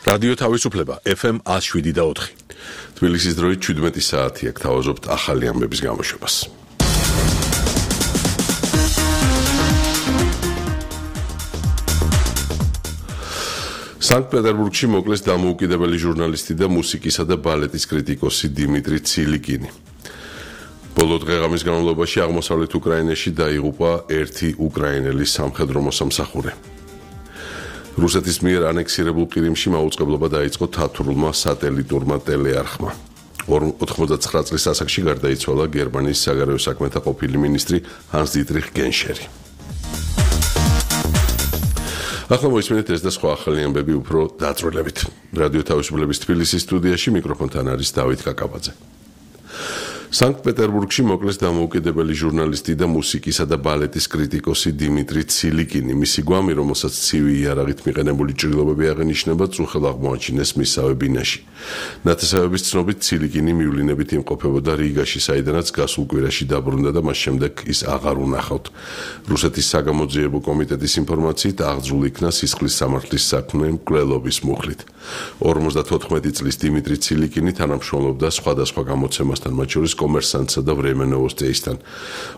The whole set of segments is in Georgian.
რადიო თავისუფლება FM 107.4. თბილისის დროით 17 საათი აქ თავაზობთ ახალი ამბების გამოშვებას. სანქტ-პეტერბურგში მოკლეს დამოუკიდებელი ჟურნალისტი და მუსიკისა და ბალეტის კრიტიკოსი დიმიტრი ცილიკინი. ბოლო დღე-ღამის განმავლობაში აღმოსავლეთ უკრაინაში დაიღუპა ერთი უკრაინელი სამხედრო მოსამსახურე. რუსეთის მიერ ანექსირებულ ყირიმში მაუწყებლობა დაიწყო თათრულმა სატელიტურმა ტელეარხმა. 89 წლის ასაკში გარდაიცვალა გერმანიის საგარეო საქმეთა ყოფილი მინისტრი ჰანს-დიტრიხ გენშერი. ახლა მოისმინეთ ეს და სხვა ახალი ამბები უფრო დაწვრილებით. რადიო თავისუფლების თბილისის სტუდიაში მიკროფონთან არის დავით კაკაბაძე. სანქტ-პეტერბურგში მოკლეს დამოუკიდებელი ჟურნალისტი და მუსიკისა და ბალეტის კრიტიკოსი დიმიტრი ცილიკინი. მისი გვამი, რომელსაც ცივი იარაღით მიყენებული ჭრილობები აღენიშნება, წუხელ აღმოაჩინეს მისსავე ბინაში. ნათესავების ცნობით, ცილიკინი მივლინებით იმყოფებოდა რიგაში, საიდანაც გასულ კვირაში დაბრუნდა და მას შემდეგ ის აღარ უნახავთ. რუსეთის საგამოძიებო კომიტეტის ინფორმაციით, აღძრულ იქნა სისხლის სამართლის საქმე მკვლელობის მუხლით. 54 წლის დიმიტრი ცილიკინი თანამშრომლობდა სხვადასხვა გამოცემასთან, მათ შორის კომერსანტსა და ვრემე ნოვოსტიისთან.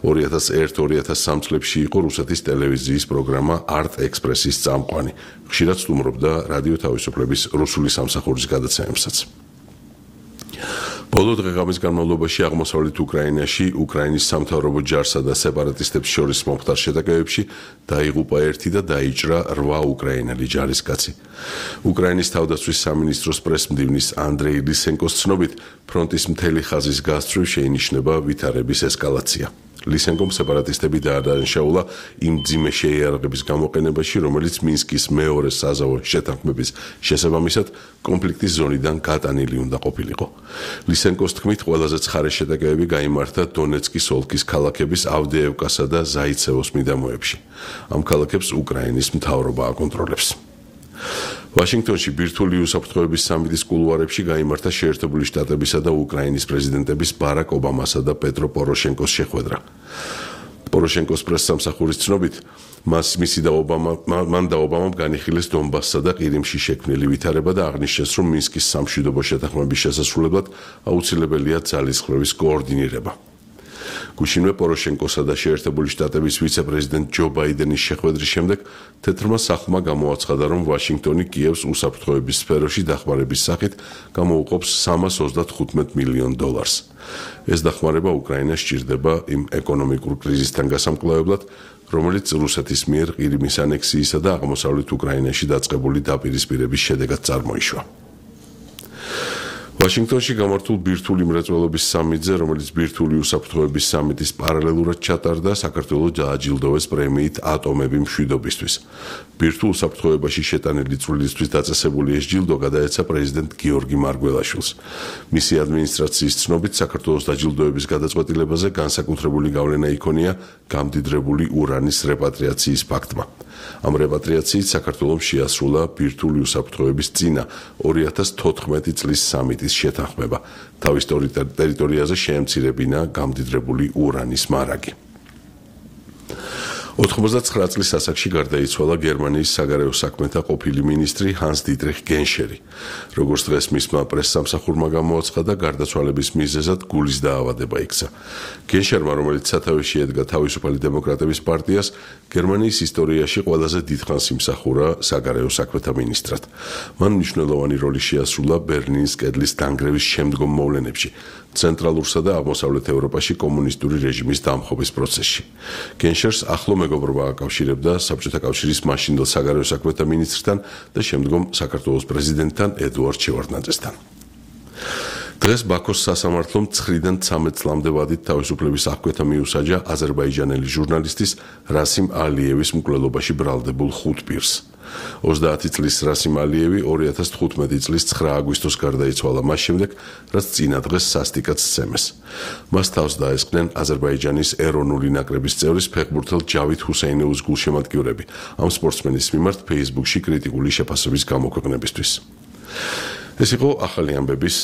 2001-2003 წლებში იყო რუსეთის ტელევიზიის პროგრამა არტ ექსპრესის წამყვანი. ხშირად სტუმრობდა რადიო თავისუფლების რუსული სამსახურის გადაცემებსაც. ბოლო დღე-ღამის განმავლობაში აღმოსავლეთ უკრაინაში უკრაინის სამთავრობო ჯარსა და სეპარატისტებს შორის მომხდარ შეტაკებებში დაიღუპა ერთი და დაიჭრა 8 უკრაინელი ჯარისკაცი. უკრაინის თავდაცვის სამინისტროს პრესმდივნის ანდრეი ლისენკოს ცნობით, ფრონტის მთელი ხაზის გასწვრივ შეინიშნება ვითარების ესკალაცია. ლისენკომ სეპარატისტები დაადანაშაულა იმ მძიმე შეიარაღების გამოყენებაში, რომელიც მინსკის მეორე საზავო შეთანხმების შესაბამისად კონფლიქტის ზონიდან გატანილი უნდა ყოფილიყო. ლისენკოს თქმით, ყველაზე ცხარე შეტაკებები გაიმართა დონეცკის ოლქის ქალაქების ავდეევკასა და ზაიცევოს მიდამოებში. ამ ქალაქებს უკრაინის მთავრობა აკონტროლებს. ვაშინგტონში ბირთვული უსაფრთხოების სამიტის კულუარებში გაიმართა შეერთებული შტატებისა და უკრაინის პრეზიდენტების ბარაკ ობამასა და პეტრო პოროშენკოს შეხვედრა. პოროშენკოს პრესსამსახურის ცნობით, მან და ობამამ განიხილეს დონბასსა და ყირიმში შექმნილი ვითარება და აღნიშნეს, რომ მინსკის სამშვიდობო შეთანხმების შესასრულებლად აუცილებელია ძალისხმევის კოორდინირება. გუშინვე პოროშენკოსა და შეერთებული შტატების ვიცე-პრეზიდენტ ჯო ბაიდენის შეხვედრის შემდეგ თეთრმა სახლმა გამოაცხადა, რომ ვაშინგტონი კიევს უსაფრთხოების სფეროში დახმარების სახით გამოუყოფს $335 მილიონ. ეს დახმარება უკრაინას სჭირდება იმ ეკონომიკურ კრიზისთან გასამკვლევებლად, რომელიც რუსეთის მიერ ყირიმის ანექსიისა და აღმოსავლეთ უკრაინაში დაწყებული დაპირისპირების შედეგად წარმოიშვა. ვაშინგტონში გამართულ ბირთვული მრეწველობის სამიტზე, რომელიც ბირთვული უსაფრთხოების სამიტის პარალელურად ჩატარდა, საქართველოს დააჯილდოვეს პრემიით ატომები მშვიდობისთვის. ბირთვულ უსაფრთხოებაში შეტანილი წვლილისთვის დაწესებული ეს ჯილდო გადაეცა პრეზიდენტ გიორგი მარგველაშვილს. მისი ადმინისტრაციის ცნობით, საქართველოს დაჯილდოების გადაწყვეტილებაზე განსაკუთრებული გავლენა იქონია გამდიდრებული ურანის რეპატრიაციის ფაქტმა. ამ რეპატრიაციით საქართველოს შეასრულა ბირთვული უსაფრთხოების წინა 2014 წლის სამიტის შეთანხმება. თავის ტერიტორიაზე შეემცირებინა გამდიდრებული ურანის მარაგი. 89 წლის ასაკში გარდაიცვალა გერმანიის საგარეო საქმეთა ყოფილი მინისტრი ჰანს-დიტრიხ გენშერი. როგორც დღეს მისმა პრესსამსახურმა გამოაცხადა, გარდაცვალების მიზეზად გულის დაავადება იქცა. გენშერმა, რომელიც სათავეში ედგა თავისუფალი დემოკრატების პარტიას, გერმანიის ისტორიაში ყველაზე დიდხანს იმსახურა საგარეო საქმეთა მინისტრად. მან მნიშვნელოვანი როლი შეასრულა ბერლინის კედლის დანგრევის შემდგომ მოვლენებში, ცენტრალურსა და აღმოსავლეთ ევროპაში კომუნისტური რეჟიმის დამხობის პროცესში. გენშერს ახლო მეგობრობა აკავშირებდა საბჭოთა კავშირის მაშინდელ საგარეო საქმეთა მინისტრთან და შემდგომ საქართველოს პრეზიდენტთან ედუარდ შევარდნაძესთან. დღეს ბაქოს სასამართლომ 9-დან 13 წლამდე ვადით თავისუფლების აღკვეთა მიუსაჯა აზერბაიჯანელი ჟურნალისტის რასიმ ალიევის მკვლელობაში ბრალდებულ 5 პირს. 30 წლის რასიმ ალიევი 2015 წლის 9 აგვისტოს გარდაიცვალა მას შემდეგ, რაც წინა დღეს სასტიკად სცემეს. მას თავს დაესხნენ აზერბაიჯანის ეროვნული ნაკრების წევრის ფეხბურთელ ჯავით ჰუსეინოვის გულშემატკივრები ამ სპორტსმენის მიმართ Facebook-ში კრიტიკული შეფასების გამოქვეყნებისთვის. ეს იყო ახალი ამბების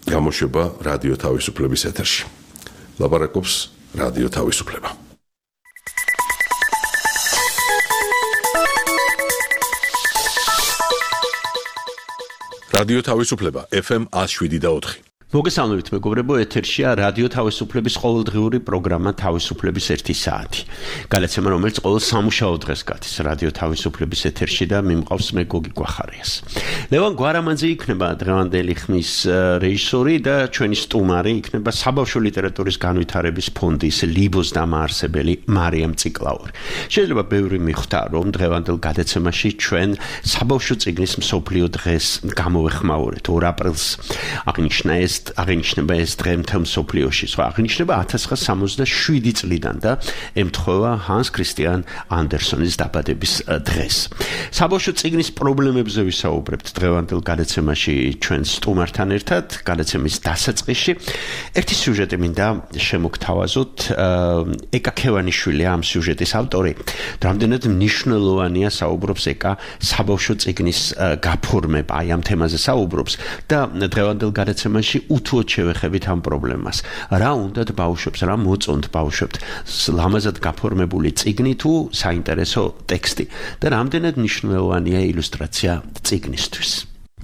გამოშვება რადიო თავისუფლების ეთერში. ლაპარაკობს რადიო თავისუფლება. რადიო თავისუფლება FM 107.4. მოგესალმებით მეგობრებო, ეთერშია რადიო თავისუფლების ყოველდღიური პროგრამა თავისუფლების 1 საათი. გადაცემა, რომელიც ყოველ სამუშაო დღეს გადის რადიო თავისუფლების ეთერში და მიმყავს მე გოგი გვახარიას. ლევან გვარამანძე იქნება დღევანდელი ხმის რეჟისორი და ჩვენი სტუმარი იქნება საბავშვო ლიტერატურის განვითარების ფონდის ლიბოს დამაარსებელი მარიამ ციკლაური. შეიძლება ბევრი მიხვდა, რომ დღევანდელ გადაცემაში ჩვენ საბავშვო წიგნის მსოფლიო დღეს გამოვეხმაურეთ 2 აპრილს. აღინიშნება ეს დღე მთელ მსოფლიოში. აღინიშნება 1967 წლიდან და ემთხვევა ჰანს ქრისტიან ანდერსონის დაბადების დღეს. საბავშვო წიგნის პრობლემებზე ვისაუბრებთ დღევანდელ გადაცემაში ჩვენ სტუმართან ერთად. გადაცემის დასაწყისში ერთი სიუჟეტი მინდა შემოგთავაზოთ. ეკა ქევანიშვილი ამ სიუჟეტის ავტორი. რამდენად მნიშვნელოვანია საუბრობს ეკა საბავშვო წიგნის გაფორმება, აი ამ თემაზე საუბრობს და დღევანდელ გადაცემაში უთუოდ შევეხებით ამ პრობლემას. რა უნდათ ბავშვებს, რა მოწონთ ბავშვებს ლამაზად გაფორმებული წიგნი თუ საინტერესო ტექსტი და რამდენად მნიშვნელოვანია ილუსტრაცია წიგნისთვის.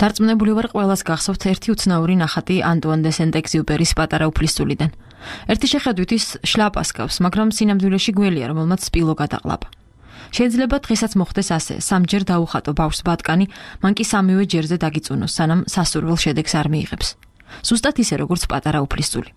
დარწმუნებული ვარ, ყველას გახსოვთ ერთი უცნაური ნახატი ანტუან დე სენტ-ეგზიუპერის პატარა უფლისწულიდან. ერთი შეხედვით ის შლაპას გავს, მაგრამ სინამდვილეში გველია, რომელმაც სპილო გადაყლაპა. შეიძლება დღესაც მოხდეს ასე, სამჯერ დაუხატო ბავშვს ბატკანი, მან კი სამივე ჯერზე დაგიწუნოს, სანამ სასურველ შედეგს არ მიიღებს. ზუსტად ისე, როგორც პატარა უფლისწული.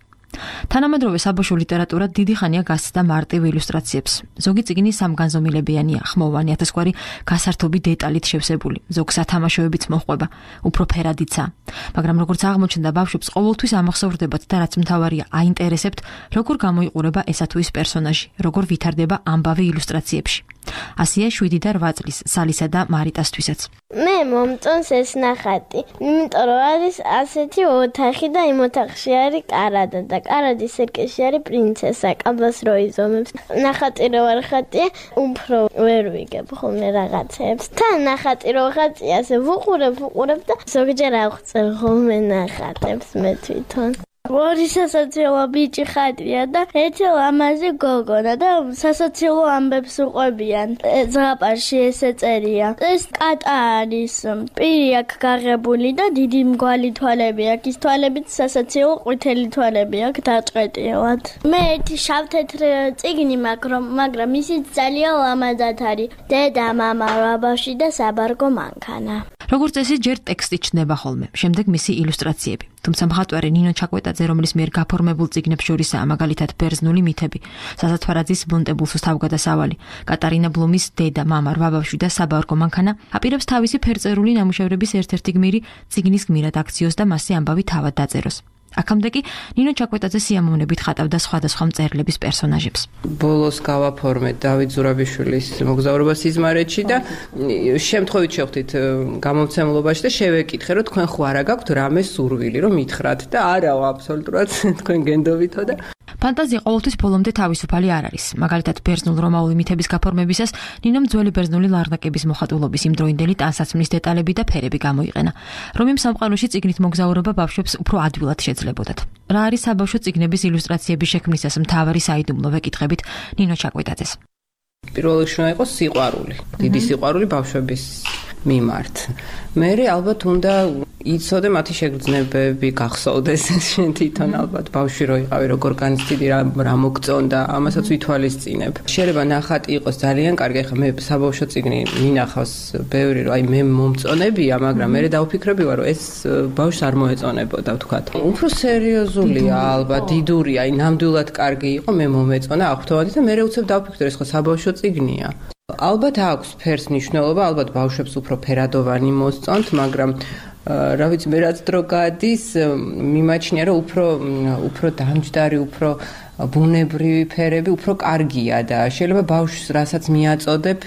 თანამედროვე საბავშვო ლიტერატურა დიდი ხანია გასცდა მარტივ ილუსტრაციებს. ზოგი წიგნი სამგანზომილებიანია, ხმოვანი, ათასგვარი გასართობი დეტალით შევსებული, ზოგ სათამაშოებიც მოჰყვება, უფრო ფერადიცაა. მაგრამ როგორც აღმოჩნდა, ბავშვებს ყოველთვის ამახსოვრდებათ და რაც მთავარია, აინტერესებთ, როგორ გამოიყურება ესა თუ ის პერსონაჟი, როგორ ვითარდება ამბავი ილუსტრაციებში. ასია 7 და 8 წლის სალისა და მარიტასთვისაც. მე მომწონს ეს ნახატი, იმიტომ რომ არის ასეთი ოთახი და იმ ოთახში არის კარადა და კარადის სერკეში არის პრინცესა, კაბას რო იზომებს. ნახატი რო არ ხატია, უფრო ვერ ვიგებ ხოლმე რაღაცებს. თან ნახატი რო ხატია, ასე ვუყურებ და ზოგჯერ ავხსენ ხოლმე ნახატებს მე თვითონ. ორი სასაცილო ბიჭი ხატია და ერთი ლამაზი გოგონა და სასაცილო ამბებს უყვებიან. ზღაპარში ესე წერია. ეს კატა არის, პირი აქვს გაღებული და დიდი მგვალი თვალები აქვს. ის თვალებით სასაცილო ყვითელი თვალები აქვს დაჭყეტილად. მე ერთი შავ-თეთრ წიგნი მაგრამ ისიც ძალიან ლამაზად არის. დედა, მამა, ბაბაში და საბარგო მანქანა. როგორც წესი, ჯერ ტექსტი ჩნდება ხოლმე, შემდეგ მისი ილუსტრაციები. თუმცა მხატვარი ნინო ჩაკვეტაძე, რომლის მიერ გაფორმებულ წიგნებს შორისაა მაგალითად ბერძნული მითები, საზათვარაძის ბუნტებულსოს თავგადასავალი, კატარინა ბლუმის დედა, მამა, რვაბავშვი და საბარგო მანქანა, აპირებს თავისი ფერწერული ნამუშევრების ერთ-ერთი გმირი წიგნის გმირად აქციოს და მასზე ამბავი თავად დაწეროს. აქამდე კი ნინო ჩაკვეტაძე სიამოვნებით ხატავდა სხვადასხვა მწერლების პერსონაჟებს. ბოლოს გავაფორმეთ დავით ზურაბიშვილის მოგზაურობა სიზმარეთში და შემთხვევით შევხვდით გამომცემლობაში და შევეკითხე, რომ თქვენ ხო არა გაქვთ რამე სურვილი, რომ მითხრათ და არაო, აბსოლუტურად თქვენ გენდობითო და ფანტაზია ყოველთვის ბოლომდე თავისუფალი არ არის. მაგალითად, ბერძნულ-რომაული მითების გაფორმებისას ნინომ ძველი ბერძნული ლარნაკების მოხატულობის იმდროინდელი ტანსაცმლის დეტალები და ფერები გამოიყენა. რომიმ სამყაროში წიგნით მოგზაურობა ბავშვებს უფრო ადვილად შეძლებოდათ. რა არის საბავშვო წიგნების ილუსტრაციების შექმნისას მთავარი საიდუმლო ვეკითხებით ნინო ჩაკვეტაძეს. პირველ რიგში უნდა იყოს სიყვარული, დიდი სიყვარული ბავშვების მიმართ. მე ალბათ უნდა იცოდე მათი შეგრძნებები, გახსოვდეს შენ თვითონ ალბათ ბავშვი რო იყავი, როგორ განიცდიდი რა მოგწონდა, ამასაც ვითვალისწინებ. შეიძლება ნახატი იყოს ძალიან კარგი, ხა მე საბავშვო წიგნი მინახავს ბევრი, რომ აი მე მომწონებია, მაგრამ მე დავფიქრებია, რომ ეს ბავშვს არ მოეწონებოდა, ვთქვათ. უფრო სერიოზულია, ალბათ დიდურია, აი ნამდვილად კარგი იყო, მე მომეწონა აღფრთოვანი და მე უცებ დავფიქრე, ეს ხო საბავშვო წიგნია. ალბათ აქვს ფერს მნიშვნელობა, ალბათ ბავშვებს უფრო ფერადოვანი მოსწონთ, მაგრამ რა ვიცი, მე რაც დრო გადის, მიმაჩნია, რომ უფრო დამჯდარი, უფრო ბუნებრივი ფერები უფრო კარგია და შეიძლება ბავშვს რასაც მიაწოდებ,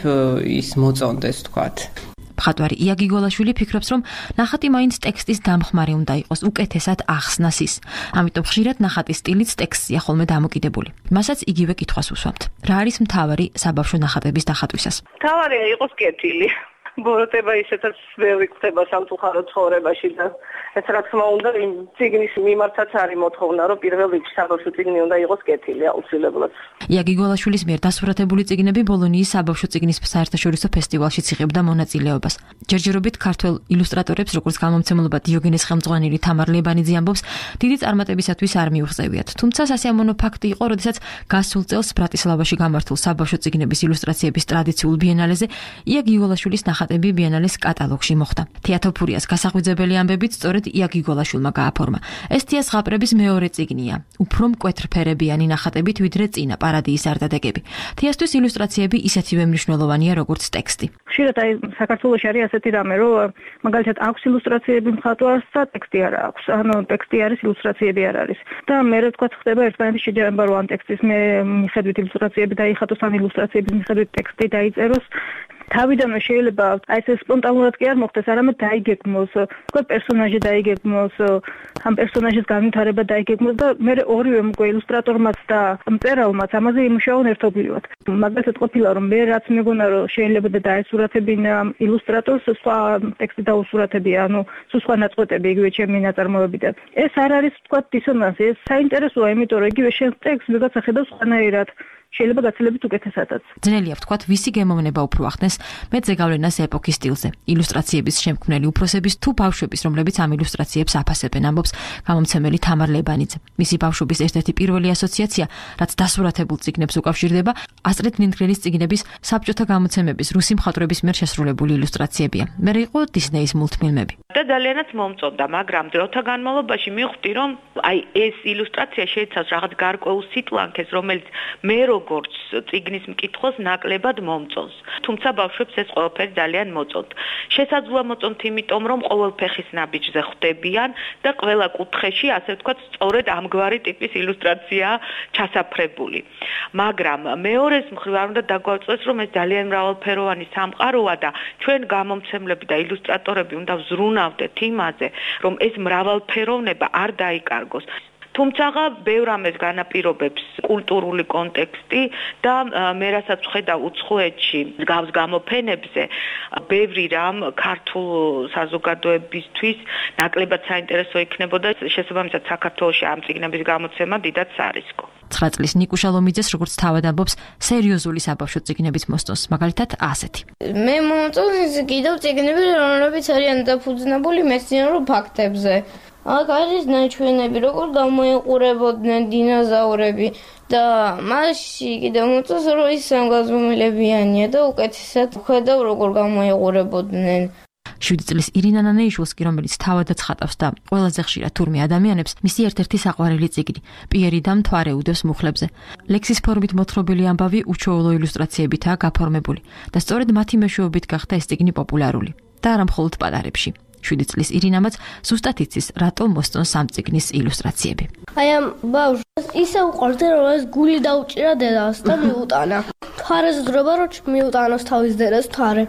ის მოწონდეს, თქვათ. მხატვარი იაგი გოლაშვილი ფიქრობს, რომ ნახატი მაინც ტექსტის დამხმარე უნდა იყოს, უკეთესად ახსნას ის. ამიტომ ხშირად ნახატის სტილიც ტექსტია ხოლმე დამოკიდებული. მასაც იგივე კითხვას უსვამთ. რა არის მთავარი საბავშვო ნახატების დახატვისას? მთავარია იყოს კეთილი. ბოროტება ისეთაც ბევრი ხდება სამწუხაროდ ცხოვრებაში და ეს რა თქმა უნდა იმ წიგნის მიმართაც არის მოთხოვნა, რომ პირველ რიგში საბავშვო წიგნი უნდა იყოს კეთილი აუცილებლად. იაგი გოლაშვილის მიერ დასურათებული წიგნები ბოლონიის საბავშვო წიგნის საერთაშორისო ფესტივალშიც იღებდა მონაწილეობას. ჯერჯერობით ქართველ ილუსტრატორებს, როგორც გამომცემლობა დიოგენეს ხელმძღვანელი თამარ ლებანიძე ამბობს, დიდი წარმატებისათვის არ მიუღწევიათ. თუმცა სასიამოვნო ფაქტი იყო, როდესაც გასულ წელს ბრატისლავაში გამართულ საბავშვო წიგნების ილუსტრაციების ტრადიციულ ბიენალეზე იაგი გოლაშვილის ნახატები ბიენალეს კატალოგში მოხვდა. თეატოფურიას გასაღვიძებელი ამბებით სწორედ იაგი გოლაშვილმა გააფორმა. ეს თეას ზღაპრების მეორე წიგნია. უფრო მკვეთრფერებიანი ნახატებით ვიდრე წინა პარადიის არდადეგები. თეასთვის ილუსტრაციები ისეთივე მნიშვნელოვანია, როგორც ტექსტი. ხშირად აი საქართველოში არის ასეთი რამე, რომ მაგალითად აქვს ილუსტრაციები მხატვარს და ტექსტი არ აქვს. ანუ ტექსტი არის, ილუსტრაციები არ არის. და მე რა თქვა ხდება ერთმანეთის შეჯერება, რომ ამ ტექსტის მიხედვით ილუსტრაციები დაიხატოს, ან ილუსტრაციების მიხედვით ტექსტი დაიწეროს. თავიდანვე შეიძლება აი ეს სპონტანურად კი არ მოხდეს, არამედ დაიგეგმოს, თქვა პერსონაჟი დაიგეგმოს, ამ პერსონაჟის განვითარება დაიგეგმოს და მე ორივე მგო ილუსტრატორმაც და მწერალმაც ამაზე იმუშაონ ერთობლივად. მაგალითად ყოფილა რომ მე რაც მეგონა რომ შეიძლება და დაესურათებინა ილუსტრატორს სხვა ტექსტი დაუსურათებია, ანუ სხვა ნაწყვეტები იგივე ჩემი ნაწარმოებიდან. ეს არ არის თქვა დისონანსი, ეს საინტერესოა, იმიტომ რომ იგივე შენ ტექსტს ვიღაცა ხედავს სხვანაირად. შეიძლება გაცილებით უკეთესადაც. ძნელია ვთქვათ, ვისი გემოვნება უფრო ახდენს მეძე გავლენას ეპოქის სტილზე. ილუსტრაციების შემქმნელი უფროსების თუ ბავშვების, რომლებიც ამ ილუსტრაციებს აფასებენ, ამბობს გამომცემელი თამარ ლებანიძე. მისი ბავშვობის ერთ-ერთი პირველი ასოციაცია, რაც დასურათებულ წიგნებს უკავშირდება, ასტრიდ ლინდგრენის წიგნების საბჭოთა გამოცემების რუსი მხატვრების მიერ შესრულებული ილუსტრაციებია. მე იყო დისნეის მულტფილმები. და ძალიანაც მომწონდა, მაგრამ დროთა განმავლობაში მივხვდი, რომ აი ეს ილუსტრაცია შეიცავს რაღაც გარკვეულ სიტლანქეს, რომელიც მე როგორც წიგნის მკითხველს ნაკლებად მომწონს. თუმცა ბავშვებს ეს ყველაფერი ძალიან მოწონთ. შესაძლოა მოწონთ, იმიტომ რომ ყოველ ფეხის ნაბიჯზე ხვდებიან და ყველა კუთხეში, ასე ვთქვათ, სწორედ ამგვარი ტიპის ილუსტრაციაა ჩასაფრებული. მაგრამ მეორეს მხრივ არ უნდა დაგვაწყვეტს, რომ ეს ძალიან მრავალფეროვანი სამყაროა და ჩვენ გამომცემლები და ილუსტრატორები უნდა ვზრუნავდეთ იმაზე, რომ ეს მრავალფეროვნება არ დაიკარგოს. თუმცა ბევრ ამას განაპირობებს კულტურული კონტექსტი და მე რასაც ვხედავ უცხოეთში გავს გამოფენებზე, ბევრი რამ ქართულ საზოგადოებისთვის ნაკლებად საინტერესო იქნებოდა, შესაბამისად საქართველოში ამ წიგნების გამოცემა დიდად სარისკო. 9 წლის ნიკუშა ლომიძეს, როგორც თავად ამბობს, სერიოზული საბავშვო წიგნებით მოსწონს, მაგალითად ასეთი. მე მომწონს კიდევ წიგნები, რომლებიც არიან დაფუძნებული მეცნიერულ ფაქტებზე. აქ არის ნაჩვენები, როგორ გამოიყურებოდნენ დინოზავრები და მასში კიდევ მოწონს, რომ ის სამგაზომილებიანია და უკეთესად ხედავ, როგორ გამოიყურებოდნენ. 7 წლის ირინა ნანეიშვილს კი, რომელიც თავადაც ხატავს და ყველაზე ხშირად თურმე ადამიანებს, მისი ერთ-ერთი საყვარელი წიგნი, პიერი და მთვარე უდევს მუხლებზე. ლექსის ფორმით მოთხრობილი ამბავი უჩვეულო ილუსტრაციებითაა გაფორმებული და სწორედ მათი მეშვეობით გახდა ეს წიგნი პოპულარული და არა მხოლოდ პატარებში. 7 წლის ირინამაც ზუსტად იცის, რატომ მოსწონს ამ წიგნის ილუსტრაციები. აი ამ ბავშვს ისე უყვარდა, რომ ეს გული დაუჭირა დედას და მიუტანა. თვარეს გრობა, რომ მიუტანოს თავის დედას თვარე.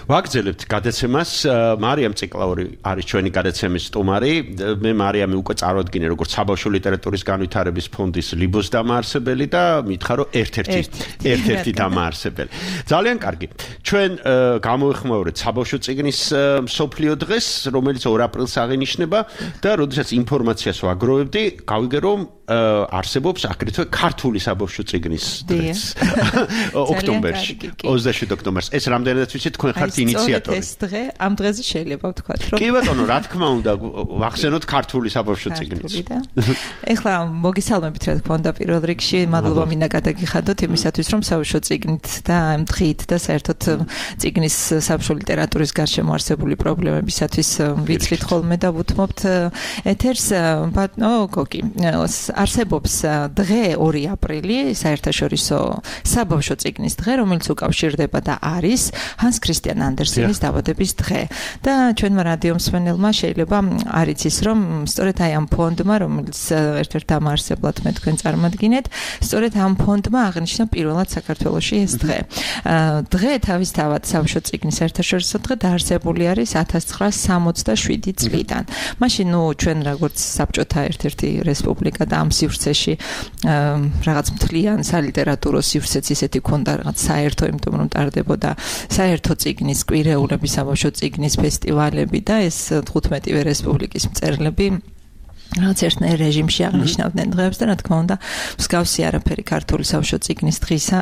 ვაგრძელებთ გადაცემას. მარიამ ციკლაური არის ჩვენი გადაცემის სტუმარი. მე მარიამი უკვე წარვადგინე როგორც საბავშვო ლიტერატურის განვითარების ფონდის ლიბოს დამაარსებელი და მითხრა რომ ერთ-ერთი დამაარსებელი. ძალიან კარგი. ჩვენ გამოვიხმაურეთ საბავშვო წიგნის მსოფლიო დღეს, რომელიც 2 აპრილს აღინიშნება და როდესაც ინფორმაციას ვაგროვებდი, გავიგე რომ არსებობს აგრეთვე ქართული საბავშვო წიგნის დღეს ოქტომბერში 27 ოქტომბერს. ეს რამდენადაც ვიცი თქვენ ხართ ინიციატორი. ეს დღე ამ დღეზე შეიძლება ვთქვათ რომ კი ბატონო, რა თქმა უნდა, ვახსენოთ ქართული საბავშვო წიგნიც. ეხლა მოგისალმებით რა თქმა უნდა პირველ რიგში, მადლობა მინდა გადაგიხადოთ იმისათვის რომ საბავშვო წიგნით და ამ დღით და საერთოდ წიგნის საბავშვო ლიტერატურის გარშემო არსებული პრობლემებისათვის ვიცლით ხოლმე და ვუთმობთ ეთერს. ბატონო გოგი, არსებობს დღე 2 აპრილი, საერთაშორისო საბავშვო წიგნის დღე, რომელიც უკავშირდება და არის ჰანს ქრისტიან ანდერსენის დაბადების დღე. და ჩვენმა რადიო მსმენელმა შეიძლება არ იცის რომ სწორედ აი ამ ფონდმა, რომელიც ერთ-ერთ დამაარსებლად მე თქვენ წარმადგინეთ, სწორედ ამ ფონდმა აღნიშნა პირველად საქართველოში ეს დღე. დღე თავისთავად საბავშვო წიგნის საერთაშორისო დღე დაარსებული არის 1967 წლიდან. მაშინ ჩვენ როგორც საბჭოთა ერთ-ერთი რესპუბლიკა და ამ სივრცეში რაღაც მთლიან სალიტერატურო სივრცეც ისეთი ქონდა რაღაც საერთო, იმიტომ რომ ტარდებოდა საერთო წიგნის კვირეულები, საბავშვო წიგნის ფესტივალები და ეს 15-ვე რესპუბლიკის მწერლები რაც ერთნაირ რეჟიმში აღნიშნავდნენ დღეებს და რა თქმა უნდა მსგავსი არაფერი ქართული საბავშვო წიგნის დღისა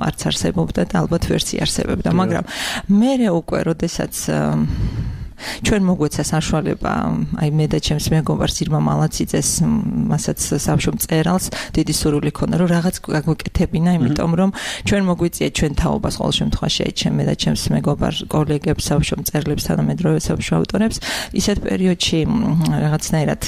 არც არსებობდა და ალბათ ვერც იარსებებდა, მაგრამ მერე უკვე როდესაც ჩვენ მოგვეცა საშუალება, აი მე და ჩემს მეგობარს ირმა მალაციძეს, მასაც საბავშვო მწერალს დიდი სურვილი ქონდა, რომ რაღაც გაგვეკეთებინა, იმიტომ რომ ჩვენ მოგვიწია ჩვენ თაობას ყოველ შემთხვევაში, აი ჩემ და ჩემს მეგობარ კოლეგებს, საბავშვო მწერლებს, თანამედროვე საბავშვო ავტორებს, ისეთ პერიოდში რაღაცნაირად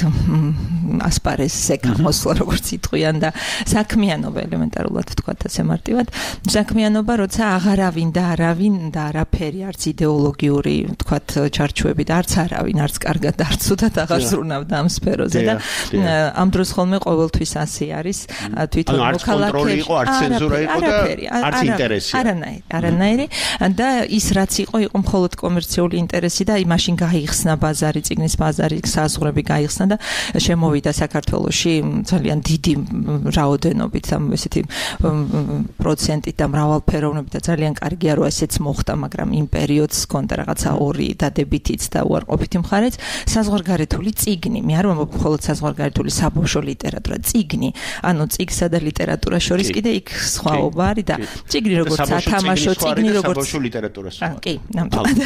ასპარეზზე გამოსვლა, როგორც იტყვიან და საქმიანობა ელემენტარულად ვთქვათ ასე მარტივად, საქმიანობა, როცა აღარავინ და არავინ და არაფერი, არც იდეოლოგიური, ვთქვათ, ჩარჩოები და არც არავინ, არც კარგად, არც ცუდად აღარ ზრუნავდა ამ სფეროზე და ამ დროს ხოლმე ყოველთვის ასე არის, თვითონ მოქალაქეები იყო, არც ცენზურა იყო და არც ინტერესი. არანაირი და ის რაც იყო მხოლოდ კომერციული ინტერესი და იმაშინ გაიხსნა ბაზარი, წიგნის ბაზარი, საზღვრები გაიხსნა და შემოვიდა საქართველოში ძალიან დიდი რაოდენობით, ესეთი პროცენტით და მრავალფეროვნებით და ძალიან კარგია რომ ესეც მოხდა, მაგრამ იმ პერიოდს ჰქონდა რაღაცა ორი დადებითიც და უარყოფითი მხარეც, საზღვარგარეთული წიგნი. მე არ ვამბობ მხოლოდ საზღვარგარეთული საბავშვო ლიტერატურა, წიგნი, ანუ წიგსა და ლიტერატურას შორის კიდე იქ სხვაობა არის და წიგნი როგორც სათამაშო წიგნი, როგორც საბავშვო ლიტერატურას. კი, ნამდვილად.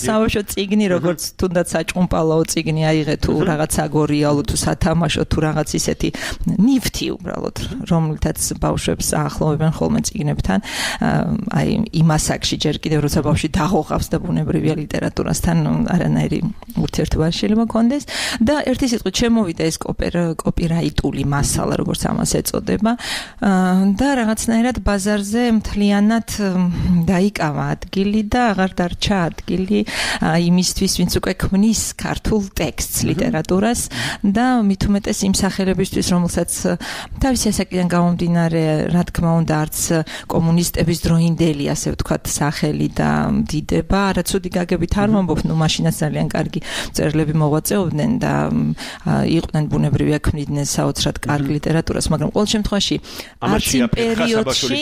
საბავშვო წიგნი როგორც თუნდაც საჭუმპალაო წიგნი აიღე თუ რაღაც აგორიალო თუ სათამაშო თუ რაღაც ისეთი ნივთი უბრალოდ, რომლითაც ბავშვებს აახლოვებენ ხოლმე წიგნებთან, აი იმ ასაკში ჯერ კიდევ როცა ბავშვი დაღოღავს და ბუნებრივია ლიტერატურასთან არანაირი ურთიერთობა შეიძლება კონდეს და ერთი სიტყვით შემოვიდა ეს კოპირაიტული მასალა, როგორც ამას ეწოდება და რაღაცნაირად ბაზარზე მთლიანად დაიკავა ადგილი და აღარ დარჩა ადგილი იმისთვის, ვინც უკვე ქმნის ქართულ ტექსტს ლიტერატურას და მით უმეტეს იმ სახელებისთვის, რომელსაც თავისი ასაკიდან გამომდინარე, რა თქმა უნდა, არც კომუნისტების დროინდელი, ასე ვთქვათ, სახელი და დიდება, არა ცუდი გაგებით არ ვამბობ, მაშინაც ძალიან კარგი მწერლები მოღვაწეობდნენ და იყვნენ ბუნებრივია ქმნიდნენ საოცრად კარგ ლიტერატურას, მაგრამ ყოველ შემთხვევაში არც იმ პერიოდში,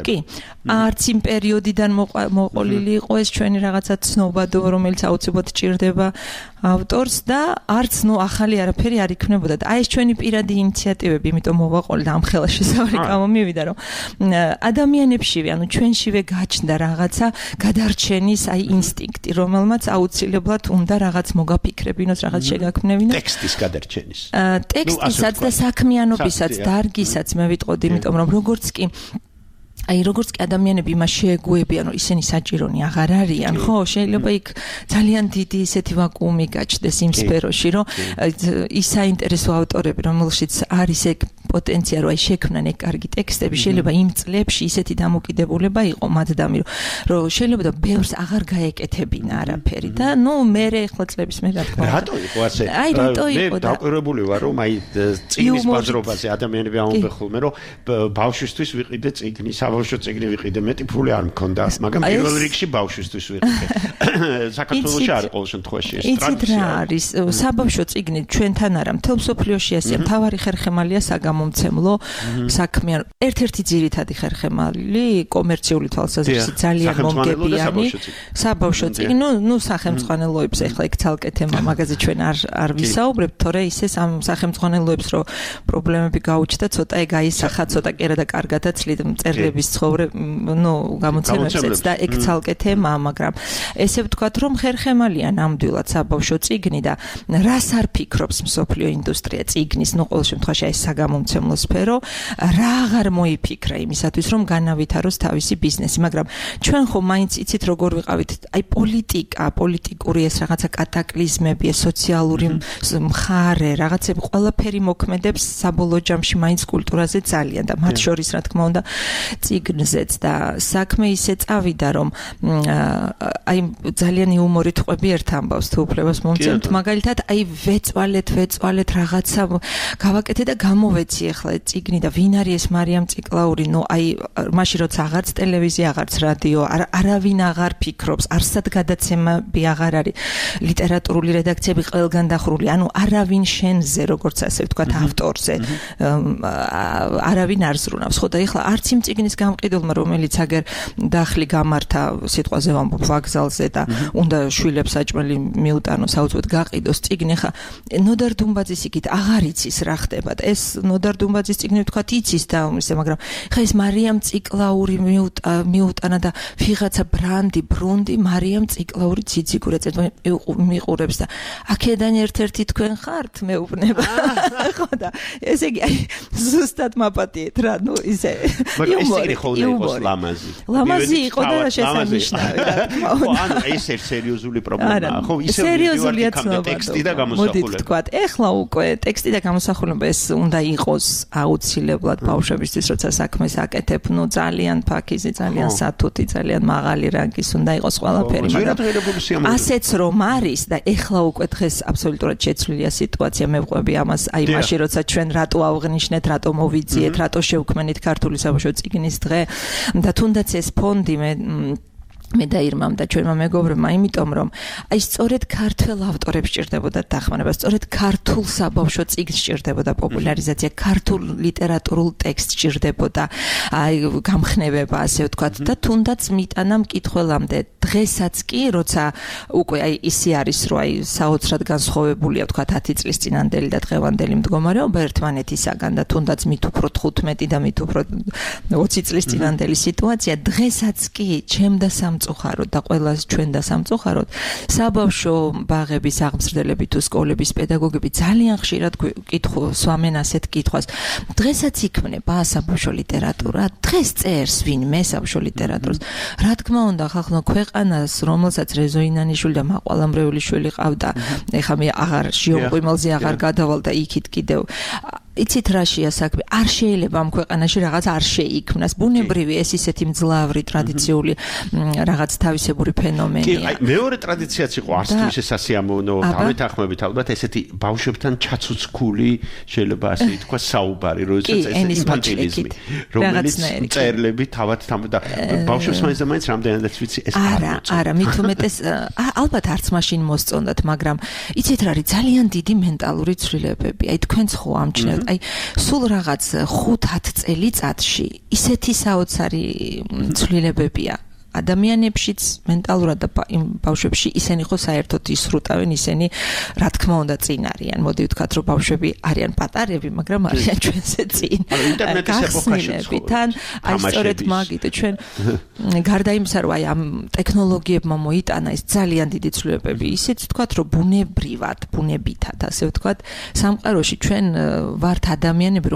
კი, არც იმ პერიოდიდან მოყოლილი იყო ეს ჩვენი რაღაცა ცნობადო, რომელიც აუცილებლად ჭირდება ავტორს და არც ახალი არაფერი არ იქნებოდა და აი ეს ჩვენი პირადი ინიციატივები, იმიტომ მოვაყოლე და ამ ხელა შესავალი გამომივიდა, რომ ადამიანებშივე, ანუ ჩვენშივე გაჩნდა რაღაცა გადარჩენის აი ინსტინქტი, რომელმაც აუცილებლად უნდა რაღაც მოგაფიქრებინოს, რაღაც შეგაქმნევინოს. ტექსტის გადარჩენის. ტექსტისაც და საქმიანობისაც, დარგისაც მე ვიტყოდი, იმიტომ რომ როგორც კი როგორც კი ადამიანები იმას შეეგუებიან, რომ ისინი საჭირონი აღარ არიან, ხო, შეიძლება იქ ძალიან დიდი ისეთი ვაკუუმი გაჩნდეს იმ სფეროში, რომ ის საინტერესო ავტორები, რომელშიც არის ეგ პოტენცია რომ აი შექმნან ეგ კარგი ტექსტები შეიძლება იმ წლებში ისეთი დამოკიდებულება იყო მათდამი რომ შეიძლება და ბევრს აღარ გაეკეთებინა არაფერი და ნუ მე ახლა წლების მე რა თქმა უნდა რატო იყო ასე აი რატო იყო და დაკვირვებული ვარ რომ აი წიგნის ბაზრობაზე ადამიანები ამბობენ ხოლმე რომ ბავშვისთვის ვიყიდე წიგნი საბავშვო წიგნი ვიყიდე მეტი ფული არ მქონდა მაგრამ პირველ რიგში ბავშვისთვის ვიყიდე საქართველოში არ ყოველ შემთხვევაში ეს ტრადიცია არის საბავშვო წიგნი ჩვენთან არა მთელ მსოფლიოში ასეა მთავარი ხერხემალია საგამომცემლო საქმე ერთ-ერთი ძირითადი ხერხემალი კომერციული თვალსაზრისით ძალიან მომგებიანი საბავშვო წიგნი ნუ სახელმწიფოებს ეხლა იქ ცალკე თემა მაგაზე ჩვენ არ ვისაუბრებთ თორე ისე ამ სახელმწიფოებს რომ პრობლემები გაუჩნდა ცოტა ეგ აისახა ცოტა კერა და კარგადაც წერლების ცხოვრება ნუ გამოცემებსაც და ეგ ცალკე თემაა მაგრამ ესე ვთქვათ რომ ხერხემალია ნამდვილად საბავშვო წიგნი და რას არ ფიქრობს მსოფლიო ინდუსტრია წიგნის ნუ ყოველ შემთხვევაში ეს საგამომცემლო სფერო რა აღარ მოიფიქრა იმისათვის რომ განავითაროს თავისი ბიზნესი მაგრამ ჩვენ ხომ მაინც იცით როგორ ვიყავით აი პოლიტიკური ეს რაღაცა კატაკლიზმები ეს სოციალური მხარე რაღაცები ყველაფერი მოქმედებს საბოლოო ჯამში მაინც კულტურაზე ძალიან და მათ შორის რა თქმა უნდა წიგნზეც და საქმე ისე წავიდა რომ აი ძალიან იუმორით ყვები ერთ ამბავს თუ უფლებას მომცემთ მაგალითად აი ვეწვალეთ რაღაცა გავაკეთე და გამოვეცი ახლა წიგნი და ვინ არის ეს მარიამ ციკლაური ნუ აი მაშინ როცა აღარც ტელევიზია აღარც რადიო არავინ აღარ ფიქრობს არსად გადაცემები აღარ არის ლიტერატურული რედაქციები ყველგან დახრული ანუ არავინ შენზე როგორც ასე ვთქვათ ავტორზე არავინ არ ზრუნავს ხო და ეხლა არც იმ წიგნის გამყიდულმა რომელიც აგერ დახლი გამართა სიტყვაზე ვამბობ ვაგზალზე და უნდა შვილებს საჭმელი მიუტანოს აუცილებლად გაყიდოს წიგნი ხა ნოდარ დუმბაძის იქით აღარ იცის რა ხდება და ეს ნოდარ დუმბაძის წიგნი ვთქვათ იცის და ისე მაგრამ ხა ეს მარიამ ციკლაური მიუტანა და ვიღაცა ბრუნდი მარიამ ციკლაური ციციგურეწეთ მიყურებს და აქედან ერთ-ერთი თქვენ ხართ მეუბნება ხო და ესე იგი აი ზუსტად მაპატიეთ რა ნუ ისე იუმორი იყო ლამაზი იყო და შესანიშნავი რა თქმა უნდა ხო ანუ ეს სერიოზული პრობლემაა ხო ისე სერიოზულია ტექსტი და გამოსახულება თქვათ ეხლა უკვე ტექსტი და გამოსახულება ეს უნდა იყოს აუცილებლად ბავშვებისთვის როცა საქმეს აკეთებ ნუ ძალიან ფაქიზი ძალიან სათუთი ძალიან მაღალი რანგის უნდა იყოს ყველაფერი მაგრამ ასეც რომ არის და ეხლა უკვე დღეს აბსოლუტურად შეცვლილია სიტუაცია მე ვყვები ამას აი მაშინ როცა ჩვენ რატო ავღნიშნეთ რატო მოვიძიეთ რატო შევქმნით ქართული საბავშვო წიგნის დღე და თუნდაც ეს ფონდი მე დაირმამ და ჩვენმა მეგობრებმა იმიტომ რომ აი სწორედ ქართულ ავტორებს სჭირდებოდა დახმარება სწორედ ქართულ საბავშვო წიგნს სჭირდებოდა პოპულარიზაცია ქართულ ლიტერატურულ ტექსტს სჭირდებოდა აი გამხნევება ასე ვთქვათ და თუნდაც მიტანა მკითხველამდე დღესაც კი როცა უკვე აი ისე არის რომ აი საოცრად განსხვავებულია ვთქვათ 10 წლის წინანდელი და დღევანდელი მდგომარეობა ერთმანეთისაგან და თუნდაც მით უფრო 15 და მით უფრო 20 წლის წინანდელი სიტუაცია დღესაც კი ჩემ და სამწუხაროდ და ყველას ჩვენ და სამწუხაროდ საბავშვო ბაღების აღმზრდელები თუ სკოლების პედაგოგები ძალიან ხშირად კითხავენ ასეთ კითხვას დღესაც იქმნება საბავშვო ლიტერატურა დღეს წერს ვინმე საბავშვო ლიტერატურას რა თქმა უნდა ხალხო ქვეყანას რომელსაც რეზო ინანიშვილი და მაყვალამრეველი შვილი ყავდა ეხლა მე აღარ შიომყიმელზე აღარ გადავალ და იქით კიდევ იცით რაშია საქმე არ შეიძლება ამ ქვეყანაში რაღაც არ შეიქმნას ბუნებრივი ეს ისეთი მძლავრი ტრადიციული რაღაც თავისებური ფენომენია კი აი მეორე ტრადიციაც იყო არც თუ ისე სასიამოვნო დავეთანხმებით ალბათ ესეთი ბავშვებთან ჩაცუცქული შეიძლება ასე ითქვა საუბარი როდესაც ეს ინფანტილიზმი რომელიც წერლები თავად და ბავშვებს მაინც რამდენადაც ვიცი ეს არა მით უმეტეს ალბათ არც მაშინ მოსწონდათ მაგრამ იცით რა არის ძალიან დიდი მენტალური ცვლილებები აი თქვენც ხო ამჩნევთ აი სულ რაღაც 5-10 წელიწადში ისეთი საოცარი ცვლილებებია ადამიანებშიც მენტალურად და ბავშვებში ისინი ხო საერთოდ ისრუტავენ ისინი რა თქმა უნდა წინ არიან მოდი ვთქვათ რომ ბავშვები არიან პატარები მაგრამ არიან ჩვენზე წინ ინტერნეტის ეპოქაში თან აი სწორედ მაგით ჩვენ გარდა იმისა რომ აი ამ ტექნოლოგიებმა მოიტანა ეს ძალიან დიდი ცვლილებები ისიც ვთქვათ რომ ბუნებითად ასე ვთქვათ სამყაროში ჩვენ ვართ ადამიანები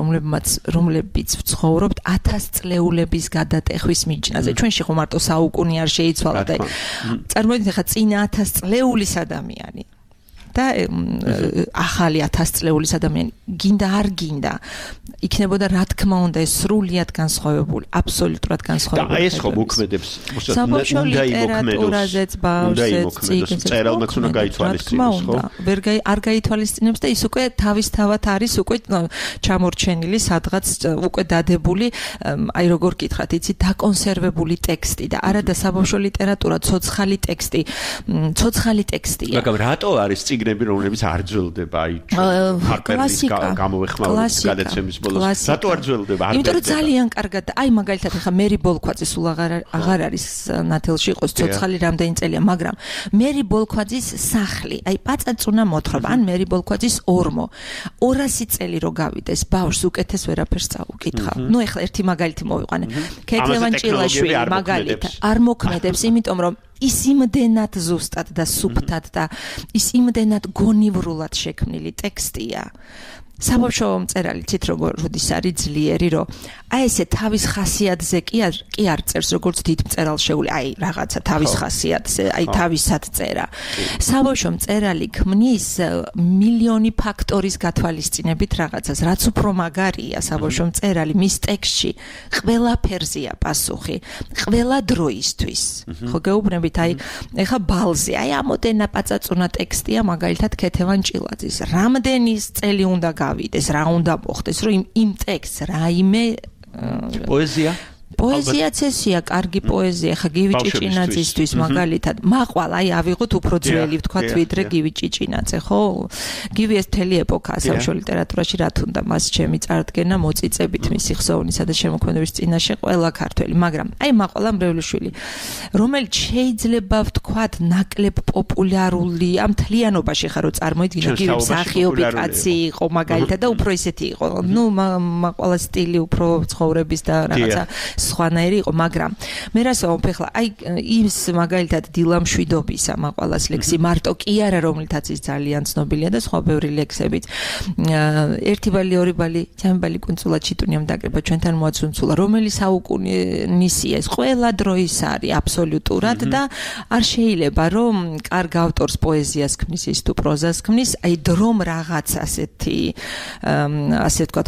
რომლებიც ვცხოვრობთ 1000 წლეულების გადატეხვის მიჯნაზე ჩვენში ხო მარტო უკუნი არ შეიცვალა და წარმოიდგინეთ ხა წინა 1000 წლეულის ადამიანი და ახალი 1000 წლეულის ადამიანი გინდა არ გინდა იქნებოდა რა თქმა უნდა ეს სრულიად განსხვავებული აბსოლუტურად განსხვავებული და ეს ხო მოქმედებს საბავშვო ლიტერატურაზეც ბავშვებს წერალმაც უნდა გაითვალისწინოს ხო არ გაითვალისწინებს და ის უკვე თავისთავად არის უკვე ჩამორჩენილი სადღაც უკვე დადებული აი როგორ გითხრათ იცი დაკონსერვებული ტექსტი და არა და საბავშვო ლიტერატურა ცოცხალი ტექსტია მაგრამ რატო არის წიგნები რომლებიც არ ძველდება აი ფარკერის გამოვეხმაურების გადაცემის ბოლოს რატო არ ძველდება იმიტომ რომ ძალიან კარგად აი მაგალითად ახლა მერი ბოლქვაძე სულ აღარ არის ნათელში იყოს ცოცხალი რამდენი წელია მაგრამ მერი ბოლქვაძის სახლი აი პაწაწუნა მოთხრობა ან მერი ბოლქვაძის ორმო 200 წელი რო გავიდეს ბავშვს უკეთეს ვერაფერს წაუკითხა ნუ ეხლა ერთი მაგალითი მოვიყვანე ქეთევან ჭილაშვილი მაგალითად არ მოქმედებს იმიტომ რომ ის იმდენად ზუსტად და სუფთად და ის იმდენად გონივრულად შექმნილი ტექსტია საბავშვო მწერალი ცით როგორ როდის არის ძლიერი რომ აი ესე თავის ხასიათზე კი არ წერს როგორც დიდ მწერალ შეული აი რაღაცა თავის ხასიათზე აი თავისად წერა საბავშვო მწერალი ქმნის მილიონი ფაქტორის გათვალისწინებით რაღაცას რაც უფრო მაგარია საბავშვო მწერალი მის ტექსტში ყველაფერზეა პასუხი ყველა დროისთვის ხო გეუბნებით აი ეხა ბალზე აი ამოდენა პაწაწუნა ტექსტია მაგალითად ქეთევან ჭილაძის რამდენი წელი უნდა გავიდეს რა უნდა მოხდეს რომ იმ ტექსტს რაიმე პოეზიაც ესია კარგი პოეზია ხა გივი ჭიჭინაძისთვის მაგალითად მაყვალ აი ავიღოთ უფრო ძველი ვთქვათ ვიდრე გივი ჭიჭინაძე ხო გივი ეს მთელი ეპოქაა საბავშვო ლიტერატურაში რა თუნდა მას ჩემი წარდგენა მოწიწებით მისი ხსოვნისა და შემოქმედების წინაშე ყველა ქართველი მაგრამ აი მაყვალა მრევლიშვილი რომელიც შეიძლება ვთქვათ ნაკლებ პოპულარულია მთლიანობაში ხა რო წარმოიდგინე გივი მსახიობი კაცი იყო მაგალითად და უფრო ისეთი იყო ნუ მაყვალა სტილი უფრო ცხოვრების და რაღაცა სხვანაირი იყო, მაგრამ მე რასო ხლა აი ის მაგალითად დილამშვიდობისა მაყვალას ლექსი მარტო კი არა რომლითაც ის ძალიან ცნობილია და სხვა ბევრი ლექსებით ერთი ბალი ორი ბალი ჩემი ბალი კუნძულად ჩიტუნიამ დაკრება ჩვენთან მოაცუნცულა რომელი საუკუნისია ეს ყველა დროის არის აბსოლუტურად და არ შეიძლება რომ კარგ ავტორს პოეზიას ქმნის ის თუ პროზას ქმნის აი დრომ რაღაც ასეთი ასე ვთქვათ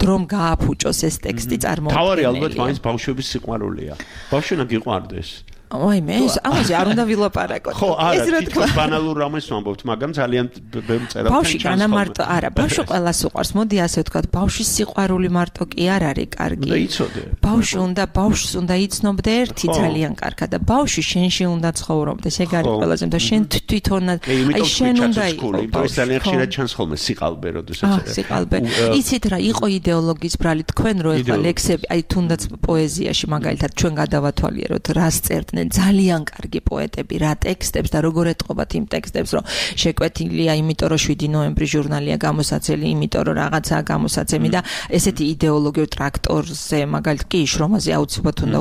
დრომ გააფუჭოს ეს ტექსტი წარმოუდგენელია თავარი ალბათ მაინც ბავშვების სიყვარულია ბავშვი უნდა გიყვარდეს ой მე ამაზე არ უნდა ვილაპარაკოთ ხო არა თვითონ ბანალურ რამეს ვამბობთ მაგრამ ძალიან ბევრი წერა ბავშვი განამარტო არა ბავშვი ყველას უყვარს მოდი ასე ვთქვათ ბავშვის სიყვარული მარტო კი არ არის კარგი და იცოდე ბავშვს უნდა იცნობდე ერთი ძალიან კარგად და ბავშვი შენში უნდა ცხოვრობდეს ეგ არის ყველაზე და შენ თვითონად აი შენ უნდა იყოს ძალიან ხშირად ჩანს ხოლმე სიყალბე როდესაც სიყალბე იცით რა იყო იდეოლოგიის ბრალი თქვენ რო ეხლა ლექსები აი თუნდაც პოეზიაში მაგალითად ჩვენ გადავათვალიეროთ რას წერდნენ ძალიან კარგი პოეტები რა ტექსტებს და როგორ ეტყობათ იმ ტექსტებს რომ შეკვეთილია იმიტომ რომ 7 ნოემბრის ჟურნალია გამოსაცემი იმიტომ რომ რაღაცაა გამოსაცემი და ესეთი იდეოლოგიურ ტრაქტორზე მაგალითად კი შრომაზე აუცილებლად უნდა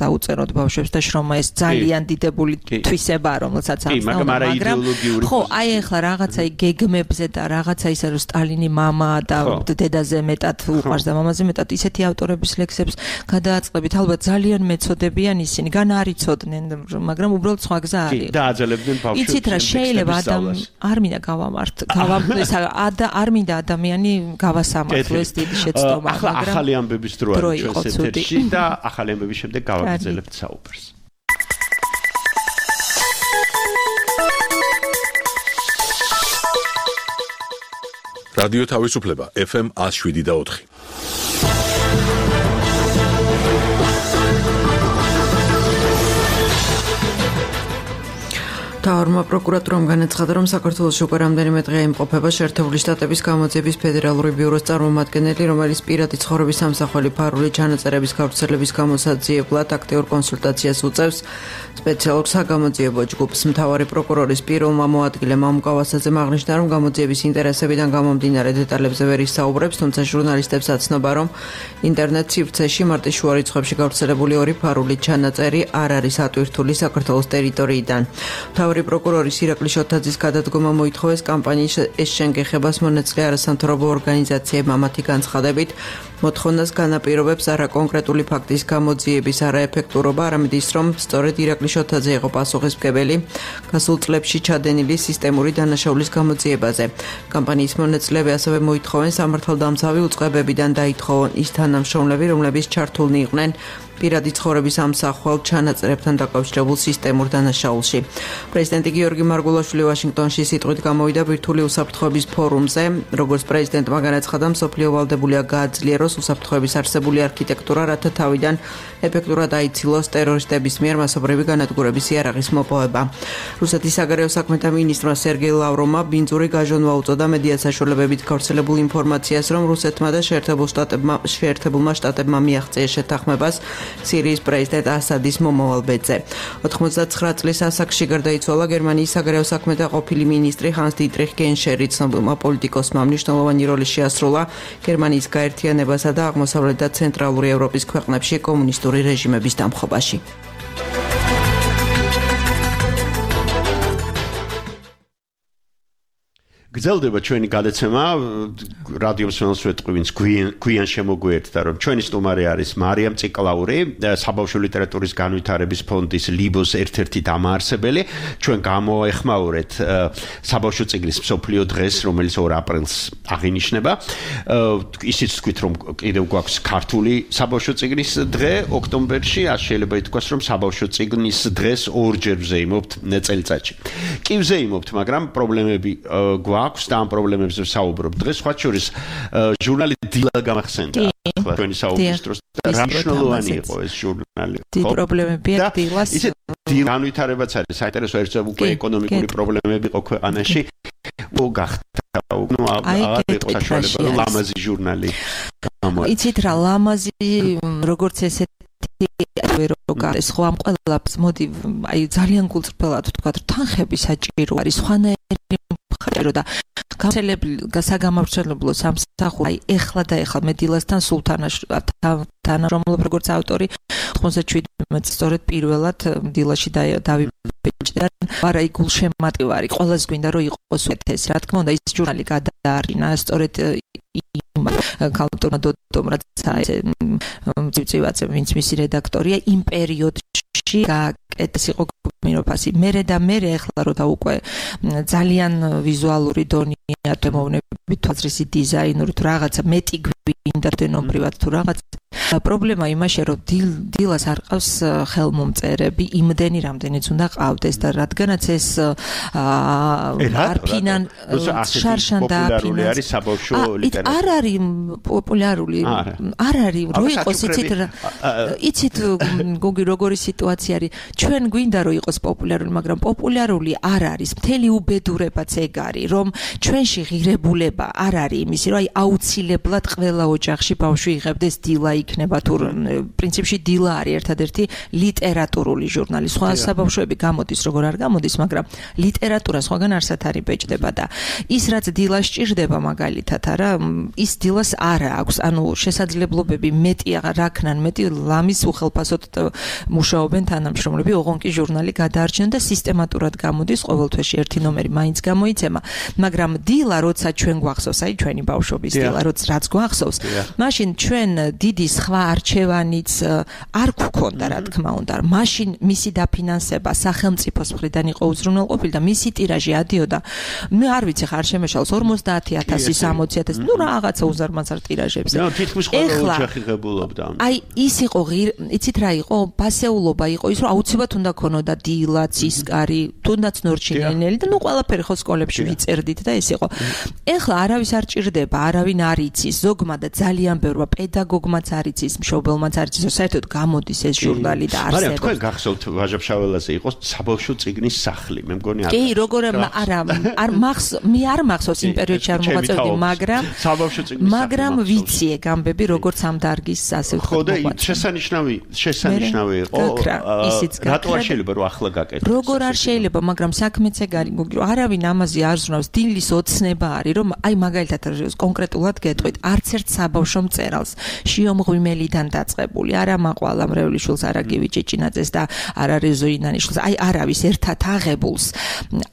დაუწეროთ ბავშვებს და შრომა ეს ძალიან დიდებული თვისებაა რომელსაც აქვს მაგრამ ხო აი ახლა რაღაცა გეგმებზე და რაღაცა ისე რომ სტალინი მამა და დედაზე მეტად უყვარს და მამაზე მეტად ისეთი ავტორების ლექსებს გადააწყდებით ალბათ ძალიან მეწოდებიან ისინი გან არიცოდ მაგრამ უბრალოდ სხვა გზა არის. და აძლებდნენ ბავშვებს. იცით რა შეიძლება არ მინდა არ მინდა ადამიანი გავასამართლოს დიდი შეცდომა, მაგრამ ახალი ამბების დრო არის ჩვენს ეთერში და ახალი ამბების შემდეგ გავაგრძელებთ საუბარს. რადიო თავისუფლება FM 107.4 თავრმა პროკურატურამ განაცხადა, რომ საქართველოში უკვე რამდენიმე დღეა იმყოფება შეერთებული შტატების გამოძიების ფედერალური ბიუროს წარმომადგენელი, რომელიც პირადი ცხოვრების სამსახველი ფარული ჩანაწერების გავრცელების გამოსაძიებლად აქტიურ კონსულტაციას უწევს სპეციალურ საგამოძიებო ჯგუფს. მთავარი პროკურორის პიროვმა მოადგილემ ამ გავასაძემ აღნიშნა, რომ გამოძიების ინტერესებიდან გამომდინარე დეტალებზე ვერ ისაუბრებს, თუმცა ჟურნალისტებს აცნობა, რომ ინტერნეტ სივრცეში მარტის შუა რიცხვებში გავრცელებული ორი ფარული ჩანაწერი არ არის ატვირთული საქართველოს ტერიტორიიდან. მთავარი პროკურორის ირაკლი შოთაძის გადადგომა მოითხოვეს კამპანიის ეს შენგეხებას მონაწილე არასამთავრობო ორგანიზაციებმა მათი განცხადებით მოთხოვნას განაპირობებს არა კონკრეტული ფაქტის გამოძიების არაეფექტურობა, არამედ ის, რომ სწორედ ირაკლი შოთაძე იყო პასუხისმგებელი გასულ წლებში ჩადენილი სისტემური დანაშაულის გამოძიებაზე. კამპანიის მონაწილეები ასევე მოითხოვენ სამართალდამცავი უწყებებიდან დაითხოვონ ის თანამშრომლები, რომლებიც ჩართულნი იყვნენ პირადი ცხოვრების ამსახველ ჩანაწერებთან დაკავშირებულ სისტემურ დანაშაულში. პრეზიდენტი გიორგი მარგულაშვილი ვაშინგტონში სიტყვით გამოვიდა ბირთვული უსაფრთხოების ფორუმზე, როგორც პრეზიდენტმა განაცხადა, მსოფლიო ვალდებულია გააძლიეროს უსაფრთხოების არსებული არქიტექტურა, რათა თავიდან ეფექტურად აიცილოს ტერორისტების მიერ მასობრივი განადგურების იარაღის მოპოვება. რუსეთის საგარეო საქმეთა მინისტრმა სერგეი ლავროვმა ბინძური გაჟონვა უწოდა მედია საშუალებებით გავრცელებულ ინფორმაციას, რომ რუსეთმა და შეერთებულმა შტატებმა მიაღწიეს შეთანხმებას სირიის პრეზიდენტ ასადის მომავალ ბედზე. 99 წლის ასაკში გარდაიცვალა გერმანიის საგარეო საქმეთა ყოფილი მინისტრი ჰანს დიტრიხ გენშერი. ცნობილმა პოლიტიკოსმა მნიშვნელოვანი როლი შეასრულა გერმანიის გაერთიანებასა და აღმოსავლეთ და ცენტრალური ევროპის ქვეყნებში კომუნისტური რეჟიმების დამხობაში. გრძელდება ჩვენი გადაცემა რადიო მსმენელს ვეთყვი გვიან შემოგვიერთდა რომ ჩვენი სტუმარი არის მარიამ ციკლაური საბავშვო ლიტერატურის განვითარების ფონდის ლიბოს ერთ-ერთი დამაარსებელი ჩვენ გამოეხმაურეთ საბავშვო წიგნის მსოფლიო დღეს რომელიც 2 აპრილს აღინიშნება ისიც თქვით რომ კიდევ გვაქვს ქართული საბავშვო წიგნის დღე ოქტომბერში შეიძლება ითქვას რომ საბავშვო წიგნის დღეს ორჯერ ვზეიმობთ წელიწადში კი ვზეიმობთ მაგრამ პრობლემები აქვს და ამ პრობლემებზე ვსაუბრობ. დღეს სხვა შორის ჟურნალი დილა გამახსენდა. ახლა ჩვენი საუბრის დროს რა მნიშვნელოვანი იყო ეს ჟურნალი. დიდი პრობლემებია დილას. ისე განვითარებაც არის საინტერესო ერთ უკვე ეკონომიკური პრობლემები იყო ქვეყანაში. გახდა აღარ იყო საშუალება რომ ლამაზი ჟურნალი გამოიცა. იცით რა ლამაზი როგორც ესეთი ეს ხო ამ ყველაფერს მოდი აი ძალიან გულწრფელად ვთქვა თანხები საჭირო არის სხვანაირი ხარო და საგამავრცელებლო სამსახური აი ეხლა და ეხლა მე დილასთან თანამშრომლობ როგორც ავტორი 97 სწორედ პირველად დილაში დავიბეჭდა არა გულშემატკივარი ყველას გვინდა რომ იყოს ეს რა თქმა უნდა ის ჟურნალი გადაარინა სწორედ კალტორმა დოტომ რაც ცივცივაცე ვინც მისი რედაქტორია იმ პერიოდში გააკეთეს იყო მინოფასი მერე და მერე ეხლა რომ და უკვე ძალიან ვიზუალური დონია თემოვნები თვალსაზრისი დიზაინური თუ რაღაცა მეტი გვინდა დენობრივად თუ რაღაცა პრობლემა იმაშია რომ დილას არ ყავს ხელმომწერები იმდენი რამდენიც უნდა ყავდეს და რადგანაც ეს არფინან შარშან და პოპულარული არის საბავშვო ლიტერატურა არ არის პოპულარული არ არის რო იყოს იცით გოგი როგორი სიტუაცია არის ჩვენ გვინდა რომ იყოს პოპულარული მაგრამ პოპულარული არ არის მთელი უბედურებაც ეგ არის რომ ჩვენში ღირებულება არ არის იმისი რომ აი აუცილებლად ყველა ოჯახში ბავშვი იღებდეს დილა იქნება თუ პრინციპში დილა არის ერთადერთი ლიტერატურული ჟურნალი სხვა საბავშვოები გამოდის როგორ არ გამოდის მაგრამ ლიტერატურა სხვაგან არსად არის ბეჭდება და ის რაც დილას ჭირდება მაგალითად არა ის დილას არ აქვს ანუ შესაძლებლობები მეტი რაქნან მეტი ლამის უხელფასოდ მუშაობენ თანამშრომლები ოღონდ კი ჟურნალი გადაარჩენ და სისტემატურად გამოდის ყოველთვეში ერთი ნომერი მაინც გამოიცემა მაგრამ დილა როცა ჩვენ გვახსოვს აი ჩვენი ბავშვობის დილა რაც გვახსოვს მაშინ ჩვენ დიდი სხვა არჩევანიც არ გვქონდა რა თქმა უნდა მაშინ მისი დაფინანსება სახელმწიფოს მხრიდან იყო უზრუნველყოფილი და მისი ტირაჟი ადიოდა მე არ ვიცი ხარ შემეშალს 50000 60000 ნუ რაღაცა უზარმაზარ ტირაჟებზე ეხლა ხიღებულობდა აი ის იყო იცით რა იყო პასეულობა იყო ის რომ აუცილებლად უნდა ქონოდა დილა ცისკარი თუნდაც ნორჩინელი და ნუ ყველაფერი ხო სკოლებში ვიწერდით და ეს იყო ეხლა არავის არ ჭირდება არავინ არ იცის ზოგმა და ძალიან ბევრმა პედაგოგმაც არ იცის მშობელმაც არ იცის საერთოდ გამოდის ეს ჟურნალი და არსებობს მაგრამ თქვენ გახსოვთ ვაჟა-ფშაველაზე იყო საბავშვო წიგნის სახლი მე მგონი კი როგორ არა არ მე არ მახსოვს იმ პერიოდში არ მოღვაწეობდი მაგრამ საბავშვო წიგნის სახლი მაგრამ ვიციე გამბები როგორც ამ დარგის ასე ხო და შესანიშნავი იყო რატო არ შეიძლება რომ ახლა გაკეთდეს როგორ არ შეიძლება მაგრამ საქმეც ეგ არის გოგი რომ არავინ ამაზე არ ზრუნავს დილის ოცნება არის რომ აი მაგალითად კონკრეტულად გეტყვით არც ერთ საბავშვო მწერალს შიო ღვიმელიდან დაწყებული, არა მაყვალა მრევლიშვილს, არა გივი ჭეჭინაძეს და არა რეზოინანიშვილს, აი არავის ერთად აღებულს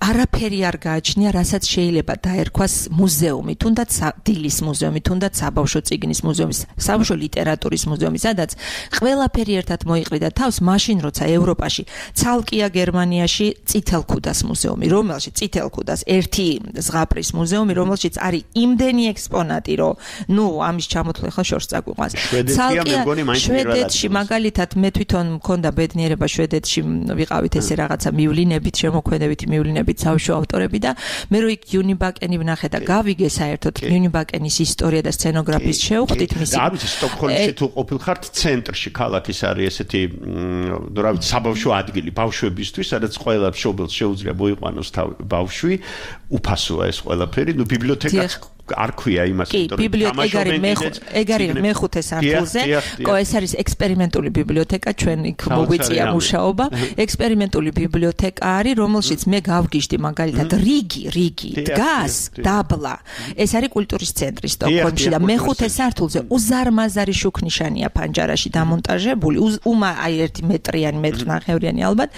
არაფერი არ გააჩნია, რასაც შეიძლება დაერქვას მუზეუმი, თუნდაც დილის მუზეუმი, თუნდაც საბავშვო წიგნის მუზეუმი, საბავშვო ლიტერატურის მუზეუმი, სადაც ყველაფერი ერთად მოიყრიდა თავს, მაშინ როცა ევროპაში ცალკეა გერმანიაში წითელქუდას მუზეუმი, რომელშიც წითელქუდას ერთი ზღაპრის მუზეუმი, რომელშიც არის იმდენი ექსპონატი, რომ ნუ ამის ჩამოთვლა ხა შორს წაგვიყვანს. ცალკეა შვედეთში მაგალითად მე თვითონ მქონდა ბედნიერება შვედეთში ვიყავით ესე რაღაცა მივლინებით, შემოქმედებითი მივლინებით საბავშვო ავტორები და მე რო იქ იუნიბაკენი ვნახე და გავიგე საერთოდ იუნიბაკენის ისტორია და სცენოგრაფიის შევხვდით მისი. და არის სტოკჰოლმში თუ ყოფილხართ ცენტრში ქალაქის არის ესეთი რა ვიცი საბავშვო ადგილი ბავშვებისთვის, სადაც ყველა მშობელს შეუძლია მოიყვანოს ბავშვი, უფასოა ეს ყველაფერი, ნუ ბიბლიოთეკაც არ ქვია იმას, იმიტომ რომ ბიბლიოთეკარი მეხუთე სართულზე, ეს არის ექსპერიმენტული ბიბლიოთეკა, ჩვენ იქ მოგვიწია მუშაობა, ექსპერიმენტული ბიბლიოთეკა არის, რომელშიც მე გავგიჟდი მაგალითად რიგი დგას დაბლა. ეს არის კულტურის ცენტრი სტოკჰოლმში და მეხუთე სართულზე უზარმაზარი შუქნიშანია პანჯარაში დამონტაჟებული, აი 1 მეტრიანი, 1.5 მეტრიანი ალბათ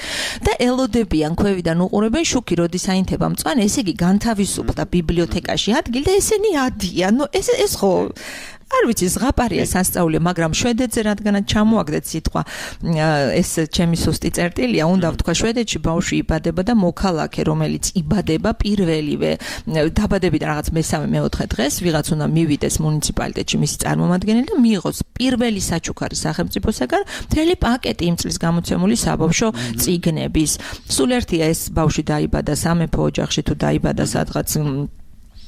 და ელოდებიან ქვევიდან უყურებენ შუქი, როდის აინთება მწვანე, ესე იგი განთავისუფლდა ბიბლიოთეკაში ადგილი და ესენი ადიან. ნუ ეს ხო არ ვიცი ზღაპარია სასწაული, მაგრამ შვედეთზე რადგანაც ჩამოაგდეთ სიტყვა, ეს ჩემი სუსტი წერტილია, უნდა ვთქვა შვედეთში ბავშვი იბადება და მოქალაქე, რომელიც იბადება პირველივე დაბადებიდან რაღაც მესამე-მეოთხე დღეს, ვიღაც უნდა მივიდეს მუნიციპალიტეტში მისი წარმომადგენელი და მიიღოს პირველი საჩუქარი სახელმწიფოსაგან მთელი პაკეტი იმ წლის გამოცემული საბავშვო წიგნების. სულ ერთია ეს ბავშვი დაიბადა სამეფო ოჯახში თუ დაიბადა სადღაც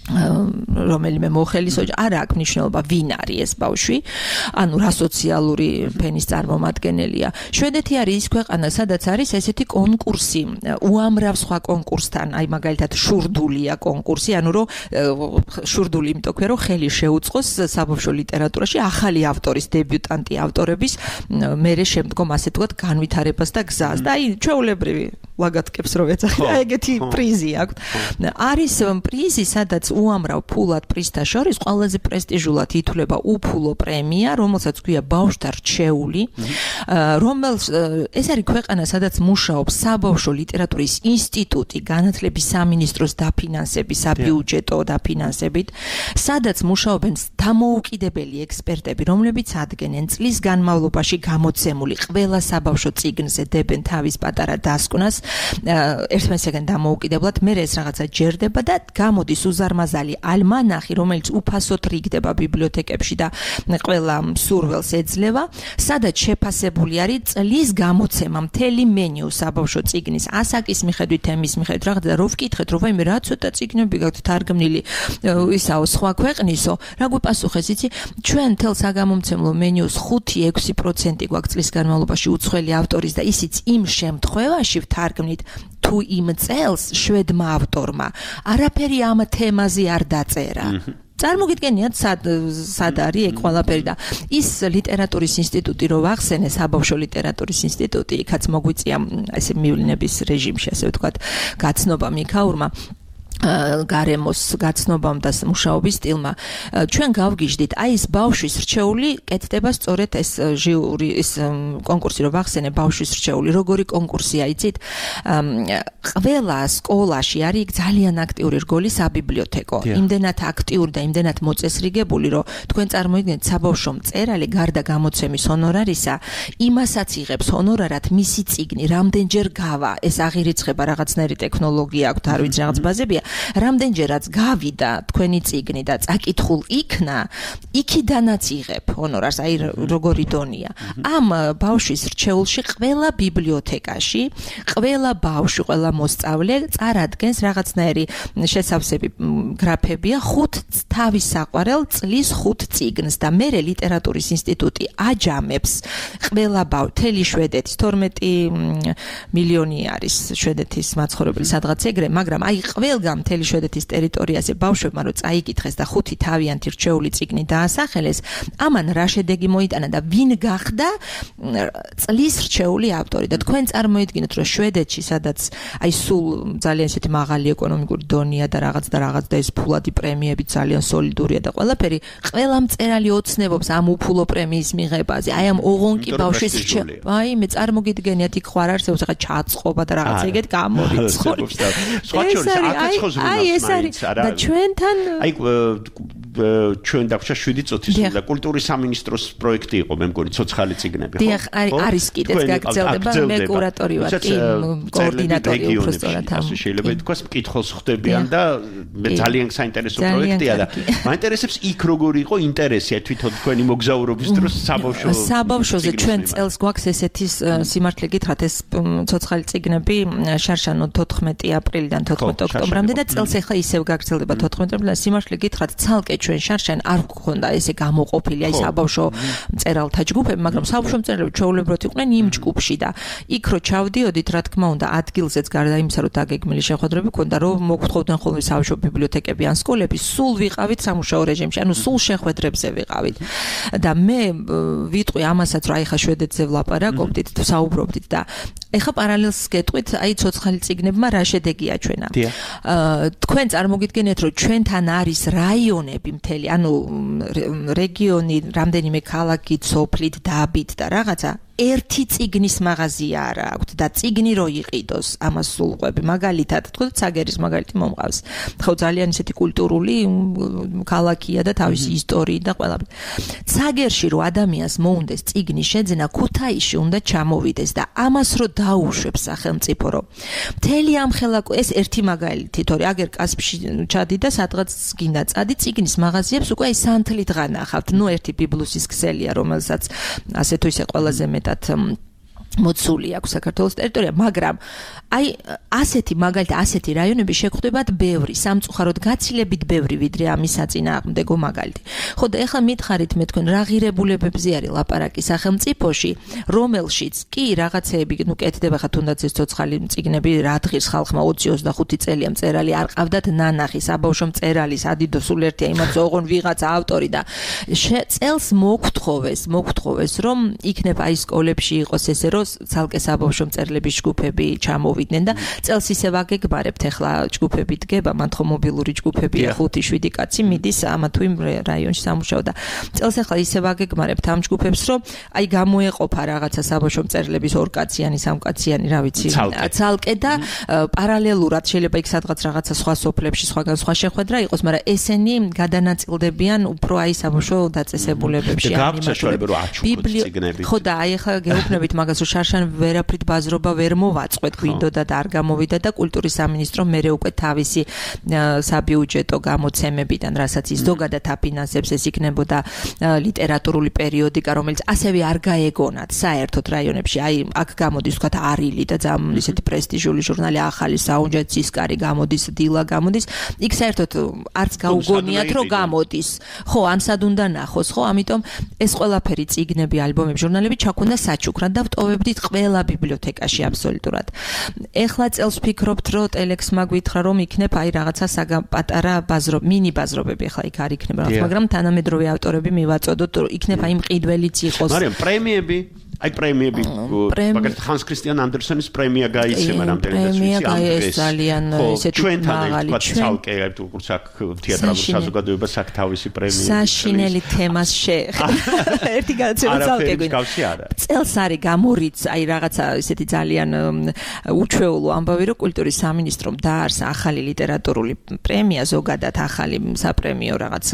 რომელიმე მოხელის ოჯახი, არ აქვს მნიშვნელობა ვინ არის ეს ბავშვი, ანუ რა სოციალური ფენის წარმომადგენელია. შვედეთი არის ის ქვეყანა, სადაც არის ესეთი კონკურსი, უამრავ სხვა კონკურსთან, აი მაგალითად შურდულია კონკურსი, ანუ რომ შურდული იმიტომ ქვია, რომ ხელი შეუწყოს საბავშვო ლიტერატურაში ახალი ავტორის, დებიუტანტი ავტორების მერე შემდგომ ასე ვთქვათ განვითარებას და გზას. და აი ჩვეულებრივი ლაგატკებს რო ეძახი, აი ეგეთი პრიზი აქვს. არის პრიზი, სადაც უამრავ ფულად პრიზთა შორის ყველაზე პრესტიჟულად ითვლება უფულო პრემია, რომელსაც ქვია ბავშვთა რჩეული, ეს არის ქვეყანა, სადაც მუშაობს საბავშვო ლიტერატურის ინსტიტუტი, განათლების სამინისტროს დაფინანსების, საბიუჯეტო დაფინანსებით, სადაც მუშაობენ დამოუკიდებელი ექსპერტები, რომლებიც ადგენენ წლის განმავლობაში გამოცემული ყველა საბავშვო წიგნზე, დებენ თავის პატარა დასკვნას, ერთმანეთისგან დამოუკიდებლად, მე ეს რაღაცა ჯერდება და გამოდის უზარმაზარი ალმანახი, რომელიც უფასოდ რიგდება ბიბლიოთეკებში და ყველა მსურველს ეძლევა, სადაც შეფასებული არის წლის გამოცემა, მთელი მენიუ საბავშვო წიგნის, ასაკის მიხედვით, თემის მიხედვით, რაღაც და რო ვკითხეთ, რომ ვაიმე რა ცოტა წიგნები გაქვთ თარგმნილი, ისაო სხვა ქვეყნისო, რა გვიპასუხეს, იცი, ჩვენ მთელ საგამომცემლო მენიუს 5-6% გვაქვს წლის განმავლობაში უცხოელი ავტორის და ისიც იმ შემთხვევაში ვთარგმნით თუ იმ წელს შვედმა ავტორმა არაფერი ამ თემაზე არ დაწერა. წარმოგიდგენიათ სად არის ეგ ყველაფერი და ის ლიტერატურის ინსტიტუტი რო ვახსენე, საბავშვო ლიტერატურის ინსტიტუტი, იქაც მოგვიწია ესე მივლინების რეჟიმში, ასე ვთქვათ, გაცნობა მიქაურმა გარემოს გაცნობამ და მუშაობის სტილმა. ჩვენ გავგიჟდით, აი ეს ბავშვის რჩეული კეთდება სწორედ ეს ჟიური, ეს კონკურსი რო ვახსენე, ბავშვის რჩეული, როგორი კონკურსია, იცით? ყველა სკოლაში არის ძალიან აქტიური რგოლი საბიბლიოთეკო. იმდენად აქტიური და იმდენად მოწესრიგებული, რომ თქვენ წარმოიდგინეთ, საბავშვო მწერალი გარდა გამოცემის ჰონორარისა, იმასაც იღებს ჰონორარად მისი წიგნი, რამდენჯერ გავა, ეს აღირიცხება რაღაცნაირი ტექნოლოგია აქვს, არ ვიცი რაღაც ბაზებია. რამდენჯერაც გავიდა თქვენი წიგნი და წაკითხულ იქნა, იქიდანაც იღებ ჰონორარს, აი როგორი დონია. ამ ბავშვის რჩეულში ყველა ბიბლიოთეკაში, ყველა ბავშვი, ყველა მოსწავლე წარადგენს რაღაცნაირი შესავსები გრაფებია 5 თავის საყვარელ წლის 5 წიგნს და მე ლიტერატურის ინსტიტუტი აჯამებს ყველა თელი შვედეთის 12 მილიონი არის შვედეთის მაცხოვრებელი სადღაც ეგრე, მაგრამ აი ყველგან მთელი შვედეთის ტერიტორიაზე ბავშვებმა რომ წაიკითხეს და 5 თავიანთი რჩეული წიგნი დაასახელეს, ამან რა შედეგი მოიტანა და ვინ გახდა წლის რჩეული ავტორი და თქვენ წარმოიდგინოთ რომ შვედეთში სადაც აი სულ ძალიან ისეთი მაღალი ეკონომიკური დონეა და რაღაც და ეს ფულადი პრემიები ძალიან სოლიდურია და ყველაფერი, ყველა მწერალი ოცნებობს ამ უფულო პრემიის მიღებაზე. აი ამ ოღონკი ბავშვის რჩევა. აი მე წარმოგიდგენიათ იქ ხარ არსებობს ახლა ჩაწყობა და რაღაცა ეგეთ გამორიცხული. სხვა შორის აკაცხოს ეს არის და ჩვენთან აი ჩვენ დაგვჭა 7 წუთის და კულტურის სამინისტროს პროექტი იყო მე მგონი ცოცხალი წიგნები ხო? დიახ, არის კიდეც გაგრძელდება მე კურატორი ვარ კი კოორდინატორი უბრალოდ ამ შეიძლება ითქვას მკითხველს ხვდებიან და მე ძალიან საინტერესო პროექტია და მაინტერესებს იქ როგორი იყო ინტერესი თვითონ თქვენი მოგზაურობის დროს საბავშვოზე ჩვენ წელს გვაქვს ესეთი სიმართლე გითხრათ ეს ცოცხალი წიგნები შარშანო 14 აპრილიდან 14 ოქტომბრამდე და წელს ახლა ისევ გაგრძელდება 14 აპრილიდან სიმართლე გითხრათ ცალკე ჩვენ შარშან არ გქონდა ესე გამოყოფილი აი საბავშვო მწერალთა ჯგუფები, მაგრამ საბავშვო მწერლები ჩვეულებრივად იყვნენ იმ ჯგუფში და იქ რო ჩავდიოდით, რა თქმა უნდა, ადგილზეც გარდა იმისა, რომ დაგეგმილი შეხვედრები ქონდა, რომ მოგთხოვდნენ ხოლმე საბავშვო ბიბლიოთეკები ან სკოლები, სულ ვიყავით სამუშაო რეჟიმში, ანუ სულ შეხვედრებზე ვიყავით. და მე ვიტყვი ამასაც, რომ აი ხა შვედეთზე ვლაპარაკობდით, საუბრობდით და ეხა პარალელს გეტყვით, აი ცოცხალი წიგნებმა რა შედეგია ჩვენა. თქვენ წარმოგიდგენიათ, რომ ჩვენთან არის რაიონები მთელი, ანუ რეგიონი, რამდენიმე ქალაქი, სოფლით, დაბით და რაღაცა ერთი წიგნის მაღაზია არ აქვს და წიგნი რო იყიდოს ამას სულყვები მაგალითად თქო ცაგერის მაგალითი მომყავს ხო ძალიან ისეთი კულტურული ქალაქია და თავისი ისტორიით და ყველაფერი ცაგერში რო ადამიანს მოუნდეს წიგნის შეძენა ქუთაისში უნდა ჩამოვიდეს და ამას რო დაუშვებს სახელმწიფო რო მთელი ამ ხელაკო ეს ერთი მაგალითი თორე აგერ კასპში ჩადი და სადღაც გინდა წადი წიგნის მაღაზიებს უკვე აი სანთლით განახავთ ნუ ერთი ბიბლუსის ქსელია რომელსაც ასე თუ ისე ყველაზე მეტად მოცული აქვს საქართველოს ტერიტორია, მაგრამ აი ასეთი მაგალითად ასეთი რაიონები შეგხვდებათ ბევრი, სამწუხაროდ გაცილებით ბევრი ვიდრე ამის საწინააღმდეგო მაგალითი. ხო და ეხლა მითხარით მე თქვენ რა ღირებულებებზე არის ლაპარაკი სახელმწიფოში, რომელშიც კი რაღაცეები ნუ კეთდება ხა თუნდაც ეს ცოცხალი წიგნები რა დღის ხალხმა 20-25 წელია მწერალი არ ყავდათ ნანახი, საბავშვო მწერალი, სადიდო სულ ერთია იმათ ოღონ ვიღაცა ავტორი და წელს მოგთხოვეს რომ იქნებ აი სკოლებში იყოს ესე რომ ცალკე საბავშვო მწერლების ჯგუფები ჩამოვიდნენ და წელს ისე ვაგეგმარებთ ახლა ჯგუფები დგება, მან ხო მობილური ჯგუფებია 5-7 კაცი მიდის ამა თუ იმ რაიონში სამუშაო და წელს ახლა ისე ვაგეგმარებთ ამ ჯგუფებს რომ აი გამოეყოფა რაღაცა საბავშვო მწერლების 2 კაციანი, 3 კაციანი, რა ვიცი, ცალკე და პარალელურად შეიძლება იქ სადღაც რაღაცა სხვა სოფლებში სხვაგან სხვა შეხვედრა იყოს, მაგრამ ესენი გადანაწილდებიან უფრო აი საბავშვო დაწესებულებებში ხო და აი ახლა გეუბნებით მაგას რომ შარშან ვერაფრით ბაზრობა ვერ მოვაწყვეთ გვინდოდა და არ გამოვიდა და კულტურის სამინისტრო მერე უკვე თავისი საბიუჯეტო გამოცემებიდან რასაც ის ზოგადად აფინანსებს ეს იქნებოდა ლიტერატურული პერიოდიკა რომელიც ასევე არ გაეგონათ საერთოდ რაიონებში აი აქ გამოდის თქვა არილი და ძალიან ისეთი პრესტიჟული ჟურნალი ახალი საუნჯა ცისკარი გამოდის დილა გამოდის იქ საერთოდ არც გაუგონიათ რომ გამოდის ხო ან სად უნდა ნახოს ხო ამიტომ ეს ყველაფერი წიგნები ალბომები ჟურნალები ჩაქონდა საჩუქრად და ვტოვებდით ყველა ბიბლიოთეკაში აბსოლუტურად. ეხლა წელს ვფიქრობთ, რომ ტელექსმა გვითხრა, რომ იქნებ აი რაღაცა პატარა მინი ბაზრობები ახლა იქ არ იქნება, მაგრამ თანამედროვე ავტორები მივაწოდოთ, რომ იქნებ აი მყიდველიც იყოს. მაგრამ პრემიები აი პრემიები მაგალითად ჰანს კრისტიან ანდერსონის პრემია გაიცემა რამდენადაც ვიცი ეს ძალიან ისეთი მაღალი ცალკე როგორც აქ თეატრალურ საზოგადოებას აქ თავისი პრემია საშინელი თემას შეეხება ერთი განცემა ცალკე გვინდა წელს არის გამორიც აი რაღაცა ისეთი ძალიან უჩვეულო ამბავი რომ კულტურის სამინისტრომ დაარსა ახალი ლიტერატურული პრემია ზოგადად ახალი საპრემიო რაღაც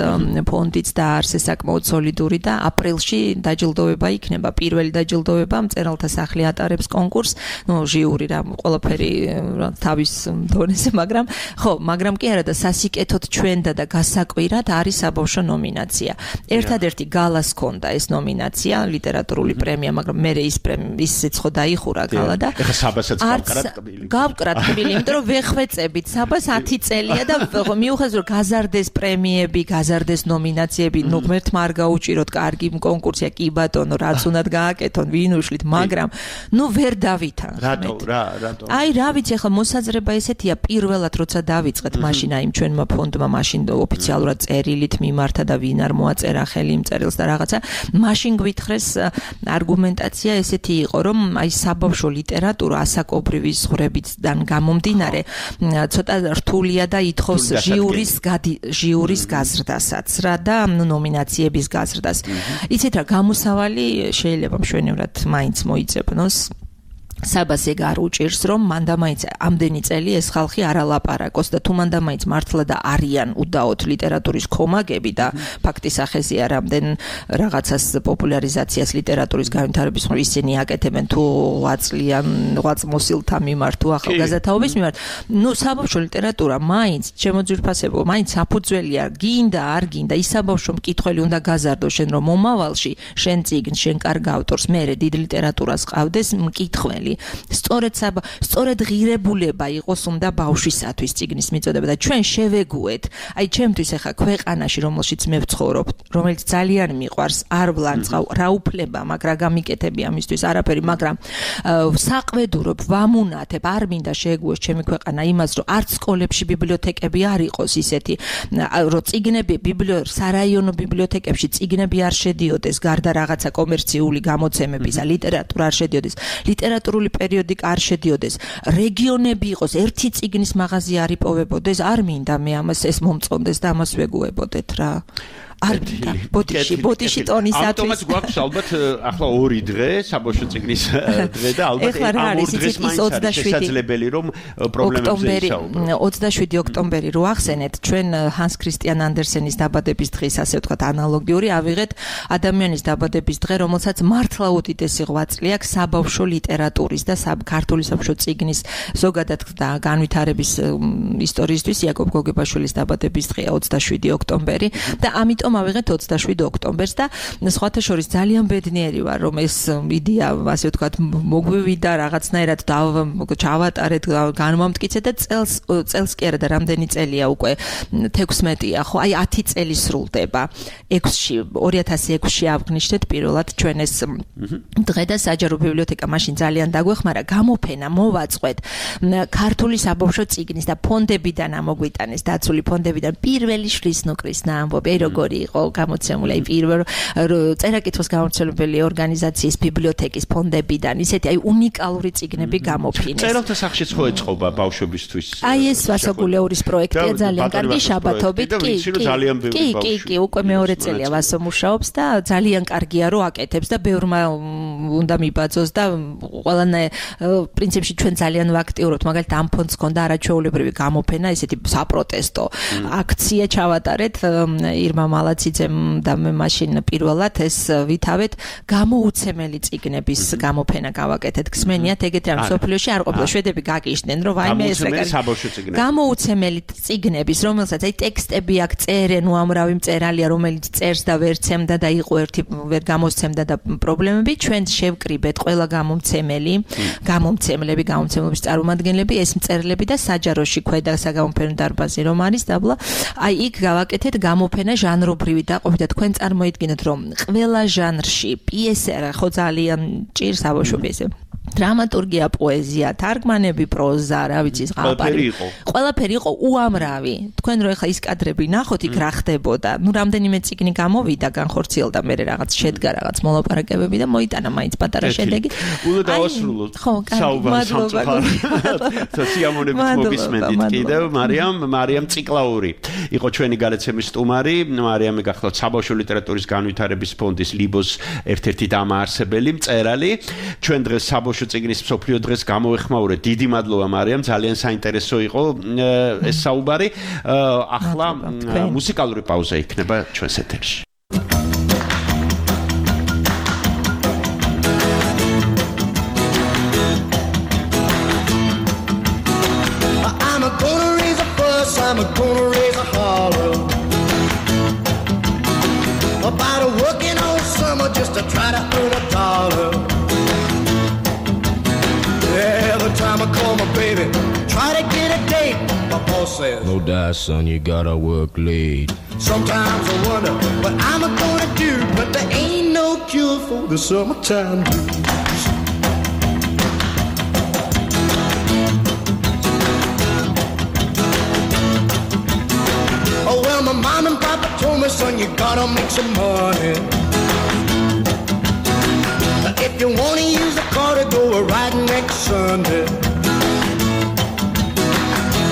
ფონდიც დაარსეს საკმაოდ სოლიდური და აპრილში დაჯილდოვება იქნება პირველი დაჯილდოვება მწერალთა სახლი ატარებს კონკურს, ნუ ჟიური რა ყველაფერი თავის დონეზე, მაგრამ კი არა და სასიკეთოდ ჩვენდა და გასაკვირად არის საბავშვო ნომინაცია. ერთადერთი გალას ჰქონდა ეს ნომინაცია, ლიტერატურული პრემია, მაგრამ მე ისიც ხო დაიხურა გალა და ეხა საბასაც გავკრათ კბილი, იმიტომ რომ ვეხვეწებით საბას 10 წელია და მიუხედავად რომ გაზარდეს პრემიები, გაზარდეს ნომინაციები, ნუ ღმერთმა არ გაუჭიროთ კარგი კონკურსია, კი ბატონო, რაც უნდათ გააკეთონ ვინ უშლით, მაგრამ ნუ ვერ დავითანხმეთ. რატო? აი რა ვიცი, ახლა მოსაზრება ესეთია, პირველად როცა დავიწყეთ მაშინ აი ჩვენმა ფონდმა მაშინ ოფიციალურად წერილით მიმართა და ვინ არ მოაწერა ხელი იმ წერილს და რაღაცა, მაშინ გვითხრეს არგუმენტაცია ესეთი იყო, რომ აი საბავშვო ლიტერატურა ასაკობრივი ზღვრებიდან გამომდინარე ცოტა რთულია და ითხოვს ჟიურის გაზრდასაც რა და ნომინაციების გაზრდას. იცით რა, გამოსავალი შეიძლება მშვენივრად მაინც მოიძებნოს. საბას ეგ არ უჭირს, რომ მანდა მაინც ამდენი წელი ეს ხალხი არ ალაპარაკოს და თუ მანდა მაინც მართლა და არიან უდაოდ ლიტერატურის კომაგები და ფაქტის ახეზია რამდენ რაღაცას პოპულარიზაციას ლიტერატურის განვითარების მხრივ ისინი აკეთებენ თუ ღვაწლმოსილთა მიმართ თუ ახალგაზრდაობის მიმართ. ნუ საბავშვო ლიტერატურა მაინც შემოძვირფასებო, მაინც საფუძველია, გინდა არ გინდა, ის საბავშვო მკითხველი უნდა გაზარდო შენ რომ მომავალში შენ წიგნს, შენ კარგ ავტორს, მერე დიდ ლიტერატურას ყავდეს მკითხველი. სწორედ ღირებულება იყოს უნდა ბავშვისათვის წიგნის მიწოდება და ჩვენ შევეგუეთ. აი ჩემთვის ახლა ქვეყანაში რომელშიც მე ვცხოვრობ, რომელიც ძალიან მიყვარს, არ ვლანწყავ, რა უფლება მაქვს, რა გამიკეთები ამისთვის არაფერი, მაგრამ საყვედურობ, ვამუნათებ, არ მინდა შეეგუოს ჩემი ქვეყანა იმას, რომ არც სკოლებში ბიბლიოთეკები არ იყოს ისეთი, რომ წიგნები სარაიონო ბიბლიოთეკებში წიგნები არ შედიოდეს, გარდა რაღაცა კომერციული გამოცემების, ლიტერატურა არ შედიოდეს. ლიტერატურული პერიოდიკა არ შედიოდეს, რეგიონები იყოს, ერთი წიგნის მაღაზია არ იპოვებოდეს, არ მინდა მე ამას ეს მომწონდეს და ამას ვეგუებოდეთ რა. არ მინდა. ბოდიში ტონისათვის. ავტომატ გვაქვს ალბათ ახლა 2 დღე, საბავშვო წიგნის დღე და ალბათ ამ 2 დღეს მაინც შესაძლებელი რომ პრობლემებზე ისაუბროთ. 27 ოქტომბერი რო ახსენეთ, ჩვენ ჰანს ქრისტიან ანდერსენის დაბადების დღის ასე ვთქვათ ანალოგიური ავიღეთ ადამიანის დაბადების დღე, რომელსაც მართლა უდიდესი ღვაწლი აქვს საბავშვო ლიტერატურის და ქართული საბავშვო წიგნის ზოგადად და განვითარების ისტორიისთვის. იაკობ გოგებაშვილის დაბადების დღეა 27 ოქტომბერი და ამიტომ ავიღეთ 27 ოქტომბერს და სხვათა შორის ძალიან ბედნიერი ვარ, რომ ეს იდეა ასე ვთქვათ მოგვივიდა რაღაცნაირად ჩავატარეთ, განვამტკიცეთ და წელს კი არა და რამდენი წელია უკვე 16-ია, ხო? აი 10 წელი სრულდება. 2006-ში აღნიშნეთ პირველად ჩვენ ეს დღე და საჯარო ბიბლიოთეკა მაშინ ძალიან დაგვეხმარა, გამოფენა მოვაწყვეთ ქართული საბავშვო წიგნის და ფონდებიდან ამოგვიტანეს, დაცული ფონდებიდან პირველი შლის ნუკრისნა ამბობი, როგორი იყო გამოცემული აი პირველ წერა-კითხვის გამომცემლებელი ორგანიზაციის ბიბლიოთეკის ფონდებიდან ისეთი აი უნიკალური წიგნები გამოფინეს. წერალთა სახშიც ხო ეწყობა ბავშვებისთვის? აი ეს ვასოგულეურის პროექტია ძალიან კარგი შაბათობით. კი, უკვე მეორე წელია ვასო მუშაობს და ძალიან კარგია რომ აკეთებს და ბევრმა უნდა მიბაძოს და ყველანაირ პრინციპში ჩვენ ძალიან ვაქტიურობთ, მაგალითად ამ ფონდს ჰქონდა არაჩვეულებრივი გამოფენა, ესეთი საპროტესტო აქცია ჩავატარეთ ირმა მალაციძემ და მე მაშინ პირველად ეს ვითავეთ გამოუცემელი წიგნების გამოფენა გავაკეთეთ. გსმენიათ ეგეთი ამ სოფლიოში არ ყოფილა, შვედები გაგიჟდნენ რომ ვაიმე ეს გამოუცემელი წიგნების, რომელსაც აი ტექსტები აქ წერენ, უამრავი მწერალია რომელიც წერს და ვერ ცემდა და იყო ერთი ვერ გამოსცემდა და პრობლემები, ჩვენ შევკრიბეთ ყველა გამომცემლების წარმომადგენლები, ეს მწერლები და საჯაროში ქვედა საგამოფენო დარბაზი რომ არის დაბლა, აი იქ გავაკეთეთ გამოფენა ჟანრობრივი დაყოფით და თქვენ წარმოიდგინეთ რომ ყველა ჟანრში პიესა ხო ძალიან ჭირს საბავშვო პიესა, დრამატურგია, პოეზია, თარგმანები, პროზა, რა ვიცი, ყველაფერი იყო უამრავი. თქვენ რო ეხლა ის კადრები ნახოთ, იქ რა ხდებოდა. ნუ რამდენიმე წიგნი გამოვიდა, განხორციელდა, მე რაღაც შედგა რაღაც მოლაპარაკებები და მოიტანა მაინც პატარა შედეგი. უნდა დავასრულოთ. საუბარს სიამონებით მოგისმენთ კიდევ მარიამ ციკლაური. იყო ჩვენი გადაცემის სტუმარი, მარიამი გახლავთ საბავშვო ლიტერატურის განვითარების ფონდის ლიბოს ერთ-ერთი დამაარსებელი, მწერალი. ჩვენ დღეს საბავშვო წიგნის მსოფლიო დღეს გამოვეხმაურეთ. დიდი მადლობა მარიამ, ძალიან საინტერესო იყო ეს საუბარი. ახლა მუსიკალური პაუზა იქნება ჩვენს ეთერში. I'm gonna raise a holler about a working all summer just to try to earn a dollar. Every time I call my baby, try to get a date, my boss says, no die, son, you gotta work late. Sometimes I wonder what I'm gonna do, but there ain't no cure for the summertime blues. Oh, well, my mom and papa told me, son, you gotta make some money. If you wanna use a car to go riding next Sunday.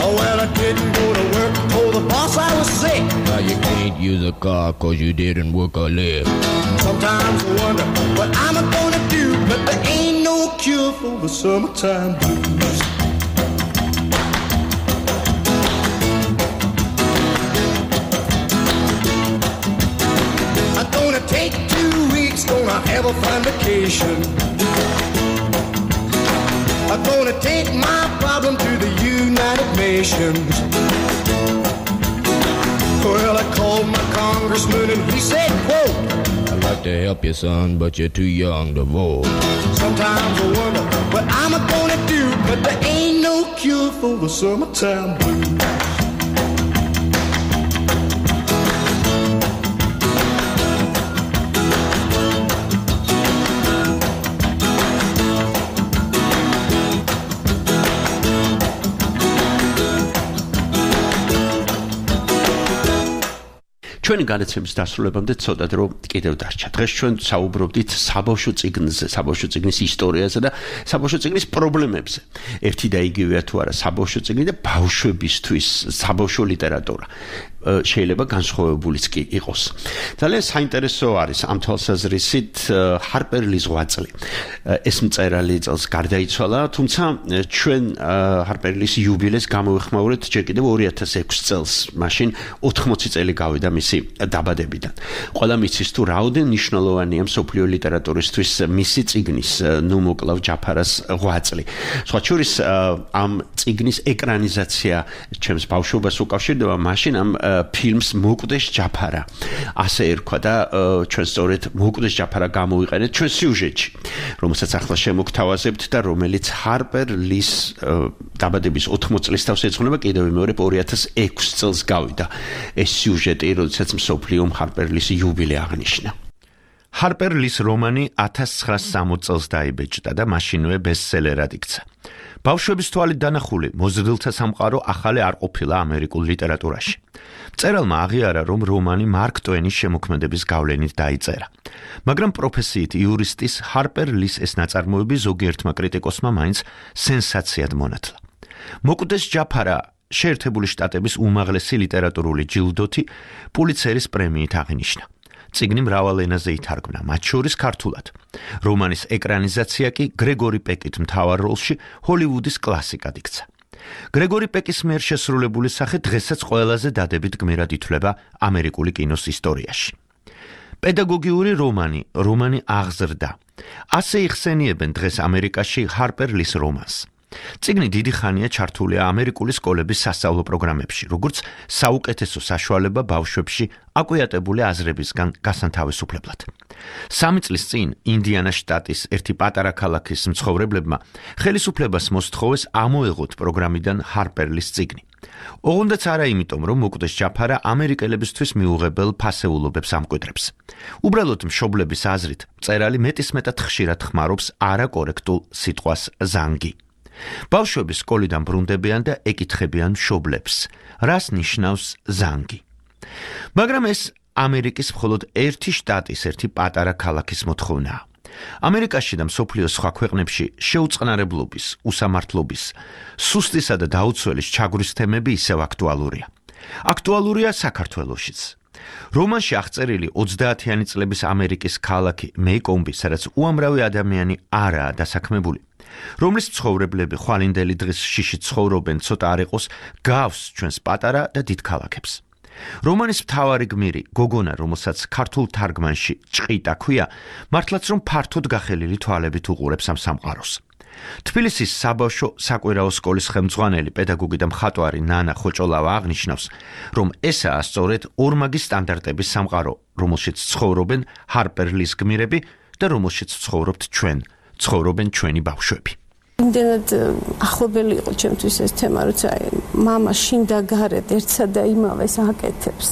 Oh, well, I didn't go to work, told the boss I was sick. Now you can't use a car cause you didn't work or live. Sometimes I wonder what I'm gonna do, but there ain't no cure for the summertime blues. I'm gonna take 2 weeks, gonna have a fine vacation. I'm gonna take my problem to the United Nations. Well, I called my congressman and he said, quote, I'd like to help you, son, but you're too young to vote. Sometimes I wonder what I'm gonna do, but there ain't no cure for the summertime blues. ჩვენი განაცემის დასრულებამდე ცოტა დრო კიდევ დარჩა. დღეს ჩვენ საუბრობდით საბავშვო წიგნზე, საბავშვო წიგნის ისტორიაზე და საბავშვო წიგნის პრობლემებზე. ერთი და იგივეა თუ არა საბავშვო წიგნი და ბავშვებისთვის საბავშვო ლიტერატურა. შეიძლება განსხვავებულიც კი იყოს. ძალიან საინტერესო არის ამ თვალსაზრისით ჰარპერ ლის ღვაწლი. ეს მწერალი წელს გარდაიცვალა, თუმცა ჩვენ ჰარპერ ლის იუბილეს გამოვიხმაურეთ ჯერ კიდევ 2006 წელს, მაშინ 80 წელი გავიდა მისი დაბადებიდან. ყველა მიცის თუ რაოდენ მნიშვნელოვანია მსოფლიო ლიტერატურისთვის მისი წიგნის ნუ მოკლავ ჯაფარას ღვაწლი. სხვა შორის ამ წიგნის ეკრანიზაცია ჩემს ბავშვობას უკავშირდება მაშინ ამ ფილმს მოკვდეს ჯაფარა. ასე ერქვა და ჩვენ სწორედ მოკვდეს ჯაფარა გამოვიყენეთ ჩვენ სიუჟეტში, რომელსაც ახლა შემოგთავაზებთ და რომელიც ჰარპერ ლის დაბადების 80 წლის თავს ეძღვნება კიდევ მეორე 2006 წელს გავიდა. ეს სიუჟეტი, როდესაც მსოფლიომ ჰარპერ ლის იუბილე აღნიშნა. ჰარპერ ლის რომანი 1960 წელს დაიბეჭდა და მაშინვე ბესტსელერად იქცა. ბავშვების თვალით დანახული მოზრდილთა სამყარო ახალი არ ყოფილა ამერიკულ ლიტერატურაში. მწერალმა აღიარა, რომ რომანი მარკ ტვენის შემოქმედების გავლენით დაიწერა. მაგრამ პროფესიით იურისტის ჰარპერ ლის ეს ნაწარმოები ზოგიერთმა კრიტიკოსმა მაინც სენსაციად მონათლა. მოკვდეს ჯაფარა შეერთებული შტატების უმაღლესი ლიტერატურული ჯილდოთი პულიცერის პრემიით აღინიშნა. წიგნი მრავალ ენაზე ითარგმნა, მათ შორის ქართულად. რომანის ეკრანიზაცია კი გრეგორი პეკით მთავარ როლში ჰოლივუდის კლასიკად იქცა. გრეგორი პეკის მიერ შესრულებული სახე დღესაც ყველაზე დადებით გმირად ითვლება ამერიკული კინოს ისტორიაში. პედაგოგიური რომანი აღზრდა. ასე იხსენიებენ დღეს ამერიკაში ჰარპერ ლის რომანს. წიგნი დიდი ხანია ჩართულია ამერიკული სკოლების სასწავლო პროგრამებში, როგორც საუკეთესო საშუალება ბავშვებში აკვიატებული აზრებისგან გასანთავისუფლებლად. 3 წლის წინ ინდიანას შტატის ერთი პატარა ქალაქის მცხოვრებლებმა ხელისუფლებას მოსთხოვეს ამოეღოთ პროგრამიდან ჰარპერ ლის წიგნი. ოღონდაც არა იმიტომ, რომ მოკვდეს ჯაფარა ამერიკელებისთვის მიუღებელ ფასეულობებს ამკვიდრებს. უბრალოდ მშობლების აზრით, მწერალი მეტისმეტად ხშირად ხმარობს არაკორექტულ სიტყვას ზანგი. ბავშვები სკოლიდან ბრუნდებიან და ეკითხებიან მშობლებს, რას ნიშნავს ზანგი. მაგრამ ეს ამერიკის მხოლოდ ერთი შტატის, ერთი პატარა ქალაქის მოთხოვნაა. ამერიკაში და მსოფლიოს სხვა ქვეყნებში შეუწყნარებლობის, უსამართლობის, სუსტისა და დაუცველის ჩაგვრის თემები ისევ აქტუალურია. აქტუალურია საქართველოშიც. რომანში აღწერილი 30-იანი წლების ამერიკის ქალაქი მეიკომბი, სადაც უამრავი ადამიანი არაა დასაქმებული, რომლის მცხოვრებლები ხვალინდელი დღის შიში ცხოვრობენ, ცოტა არ იყოს გავს ჩვენს პატარა და დიდ ქალაქებს. რომანის მთავარი გმირი, გოგონა, რომელსაც ქართულ თარგმანში ჭყიტა ქვია, მართლაც რომ ფართოდ გახელილი თვალებით უყურებს ამ სამყაროს. თბილისის საბავშვო საკვირაო სკოლის ხელმძღვანელი, პედაგოგი და მხატვარი ნანა ხოჭოლავა აღნიშნავს, რომ ესაა სწორედ ორმაგი სტანდარტების სამყარო, რომელშიც ცხოვრობენ ჰარპერ ლის გმირები და რომელშიც ცხოვრობთ ჩვენ, ცხოვრობენ ჩვენი ბავშვები. იმდენად ახლობელი იყო ჩემთვის ეს თემა, როცა მამა შინდა გარეთ ერთსა და იმავეს აკეთებს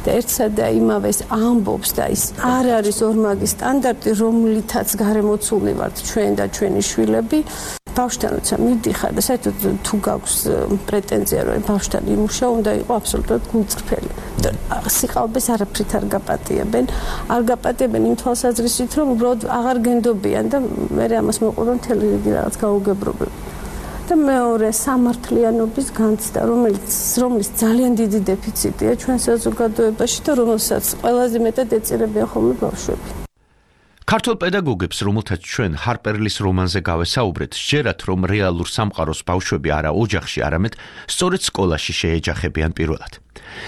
და ერთსა და იმავეს ამბობს და ის არ არის ორმაგი სტანდარტი, რომლითაც გარემოცულნი ვართ ჩვენ და ჩვენი შვილები. ბავშვთან როცა მიდიხარ და საერთოდ თუ გაქვს პრეტენზია, რომ ბავშვთან იმუშაო, უნდა იყოს აბსოლუტურად გულწრფელი. და სიყალბეს არაფრით არ გაპატიებენ. არ გაპატიებენ იმ თვალსაზრისით, რომ უბრალოდ აღარ გენდობიან და მე ამას მოყვება მთელი რიგი რაღაც გაუგებრობები. და მეორე სამართლიანობის განცდა, რომლის ძალიან დიდი დეფიციტია ჩვენ საზოგადოებაში და რომელსაც ყველაზე მეტად ეწირებიან ხოლმე ბავშვები. ქართულ პედაგოგებს, რომელთაც ჩვენ ჰარპერლის რომანზე გავესაუბრეთ, სჯერათ, რომ რეალურ სამყაროს ბავშვები არა ოჯახში, არამედ სწორედ სკოლაში შეეჯახებიან პირველად.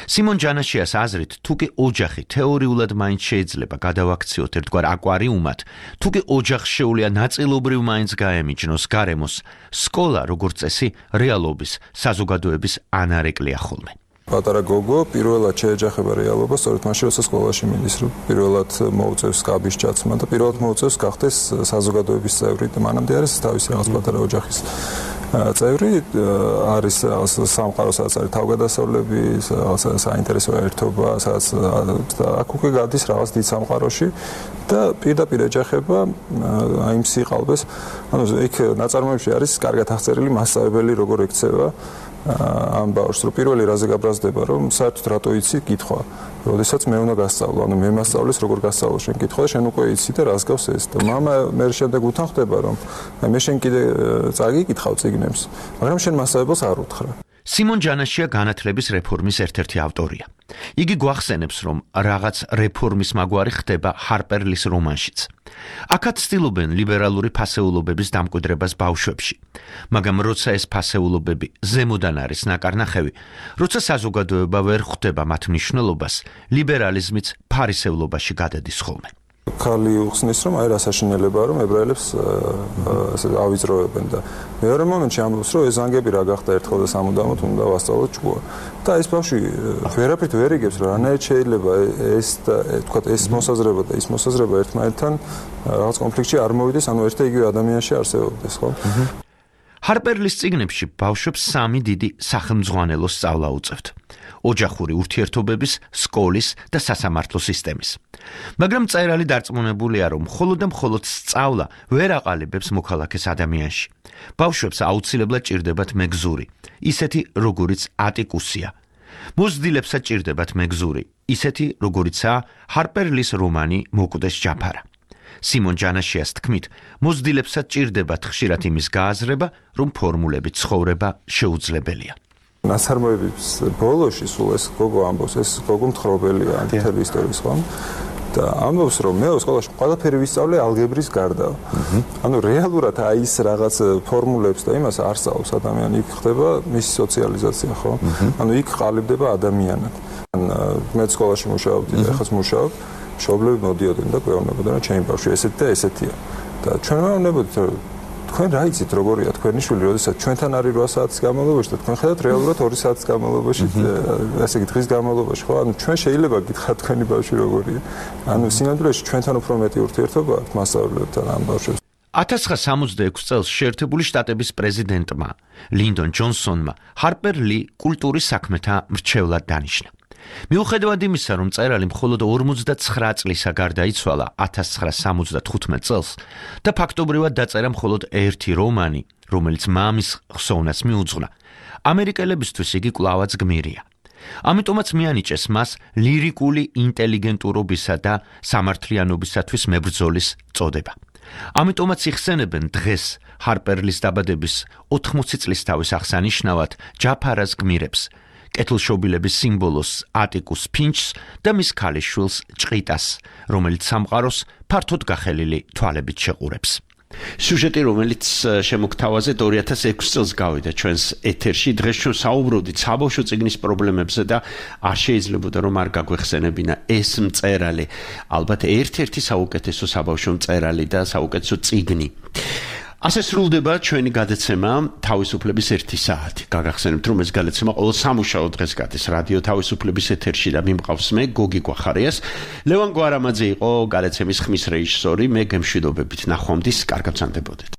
სიმონ ჯანაშიას აზრით, თუკი ოჯახი თეორიულად მაინც შეიძლება გადავაქციოთ ერთგვარ აკვარიუმად, თუკი ოჯახს შეუძლია ნაწილობრივ მაინც გაემიჯნოს გარემოს, სკოლა, როგორც წესი, რეალობის, საზოგადოების ანარეკლია ხოლმე. პატარა გოგო პირველად შეეჯახება რეალობა, სწორედ მაშინ, როცა სკოლაში მიდის, რომ პირველად მოუწევს კაბის ჩაცმა და პირველად მოუწევს გახდეს საზოგადოების წევრი და მანამდე არის თავისი რაღაც პატარა ოჯახის წევრი, არის სამყარო, სადაც არის თავგადასავლები, საინტერესო ერთობა, სადაც აქ უკვე გადის რაღაც დიდ სამყაროში და პირდაპირ ეჯახება აი იმ სიყალბეს. ანუ იქ ნაწარმოებში არის კარგად აღწერილი მასწავლებელი როგორ ექცევა ამ ბავშვს, რომ პირველი რაზე გაბრაზდება, რომ საერთოდ რატო იცი კითხვა. როდესაც მე უნდა გასწავლო, ანუ მე მასწავლის როგორ გასწავლო შენ კითხვა და შენ უკვე იცი და რას გავს ეს. და მამა მე შემდეგ უთან ხდება, რომ მე შენ კიდე წაგიკითხავ წიგნებს, მაგრამ შენ მასწავლებელს არ უთხრა. სიმონ ჯანაშია განათლების რეფორმის ერთ-ერთი ავტორია. იგი გვახსენებს, რომ რაღაც რეფორმის მაგვარი ხდება ჰარპერლის რომანშიც. აქაც ცდილობენ ლიბერალური ფასეულობების დამკვიდრებას ბავშვებში. მაგრამ როცა ეს ფასეულობები ზემოდან არის ნაკარნახევი, როცა საზოგადოება ვერ ხვდება მათ მნიშვნელობას, ლიბერალიზმიც ფარისევლობაში გადადის ხოლმე. ქალი უხსნის, რომ აი რა საშინელებაა, რომ ებრაელებს ავიწროებენ და მეორე მომენტში ამბობს, რომ ეს ზანგები რა გახდა ერთხელ და სამუდამოდ უნდა ვასწავლოთ ჭკუა. და ეს ბავშვი ვერაფრით ვერ იგებს, რომ რანაირად შეიძლება ეს და თქვა ეს მოსაზრება და ის მოსაზრება ერთმანეთთან რაღაც კონფლიქტში არ მოვიდეს, ანუ ერთ და იგივე ადამიანში არსებობდეს, ხო? ჰარპერლის წიგნებში ბავშვებს სამი დიდი სახელმძღვანელო სწავლა უწევთ. ოჯახური ურთიერთობების, სკოლის და სასამართლო სისტემის. მაგრამ მწერალი დარწმუნებულია, რომ მხოლოდ და მხოლოდ სწავლა ვერ აყალიბებს მოქალაქეს ადამიანში. ბავშვებს აუცილებლად ჭირდებათ მეგზური, ისეთი როგორიც ატიკუსია. მოზრდილებსაც ჭირდებათ მეგზური, ისეთი როგორიცაა ჰარპერლის რომანი მოკვდეს ჯაფარა. სიმონ ჯანაშიას თქმით, მოზრდილებსაც ჭირდებათ ხშირად იმის გააზრება, რომ ფორმულებით ცხოვრება შეუძლებელია. ნაწარმოების ბოლოში სულ ეს გოგო ამბობს, ეს გოგო მთხრობელია მთელი ისტორიის, ხო? და ამბობს, რომ მე სკოლაში ყველაფერი ვისწავლე ალგებრის გარდა. ანუ რეალურად აი ის რაღაც ფორმულებს და იმას არ სწავლობს ადამიანი, იქ ხდება მისი სოციალიზაცია, ხო? ანუ იქ ყალიბდება ადამიანად. მე სკოლაში მუშაობდი და ეხლა მუშაობ, მშობლები მოდიოდნენ და გვეუბნებოდნენ, რომ ჩემი ბავშვი ესეთი და ესეთია. და ჩვენ მეუბნებოდით, რომ თქვენ რა იცით როგორია თქვენი შვილი, როდესაც ჩვენთან არის 8 საათის განმავლობაში და თქვენ ხედავთ რეალურად 2 საათის განმავლობაში, ასე იგი დღის განმავლობაში, ხო? ანუ ჩვენ შეიძლება გითხრათ თქვენი ბავშვი როგორია. ანუ სინამდვილეში ჩვენთან უფრო მეტი ურთიერთობა აქვს მასწავლებლებთან ამ ბავშვებს. 1966 წელს შეერთებული შტატების პრეზიდენტმა ლინდონ ჯონსონმა ჰარპერ ლი კულტურის საქმეთა მრჩევლად დანიშნა. მიუხედავად იმისა, რომ მწერალი მხოლოდ 59 წლისა გარდაიცვალა 1975 წელს და ფაქტობრივად დაწერა მხოლოდ ერთი რომანი, რომელიც მამის ხსოვნას მიუძღვნა, ამერიკელებისთვის იგი კვლავაც გმირია. ამიტომაც მიანიჭეს მას ლირიკული ინტელიგენტურობისა და სამართლიანობისათვის მებრძოლის წოდება. ამიტომაც იხსენებენ დღეს ჰარპერლის დაბადების 80 წლისთავის აღსანიშნავად ჯაფარას გმირებს, კეთილშობილების სიმბოლოს ატიკუს ფინჩს და მის ქალიშვილს ჭყიტას, რომელიც სამყაროს ფართოდ გახელილი თვალებით შეყურებს. სიუჟეტი, რომელიც შემოგთავაზეთ 2006 წელს გავიდა ჩვენს ეთერში, დღეს ჩვენ საუბრობდით საბავშვო წიგნის პრობლემებზე და არ შეიძლებოდა რომ არ გაგვეხსენებინა ეს მწერალი, ალბათ ერთ-ერთი საუკეთესო საბავშვო მწერალი და საუკეთესო წიგნი. ასე სრულდება ჩვენი გადაცემა თავისუფლების 1 საათი. გაგახსენებთ, რომ ეს გადაცემა ყოველ სამუშაო დღეს გადის რადიო თავისუფლების ეთერში და მიმყავს მე გოგი გვახარიას. ლევან გვარამაძე იყო გადაცემის ხმის რეჟისორი, მე გემშვიდობებით ნახვამდის, კარგად ვსანდებოდეთ.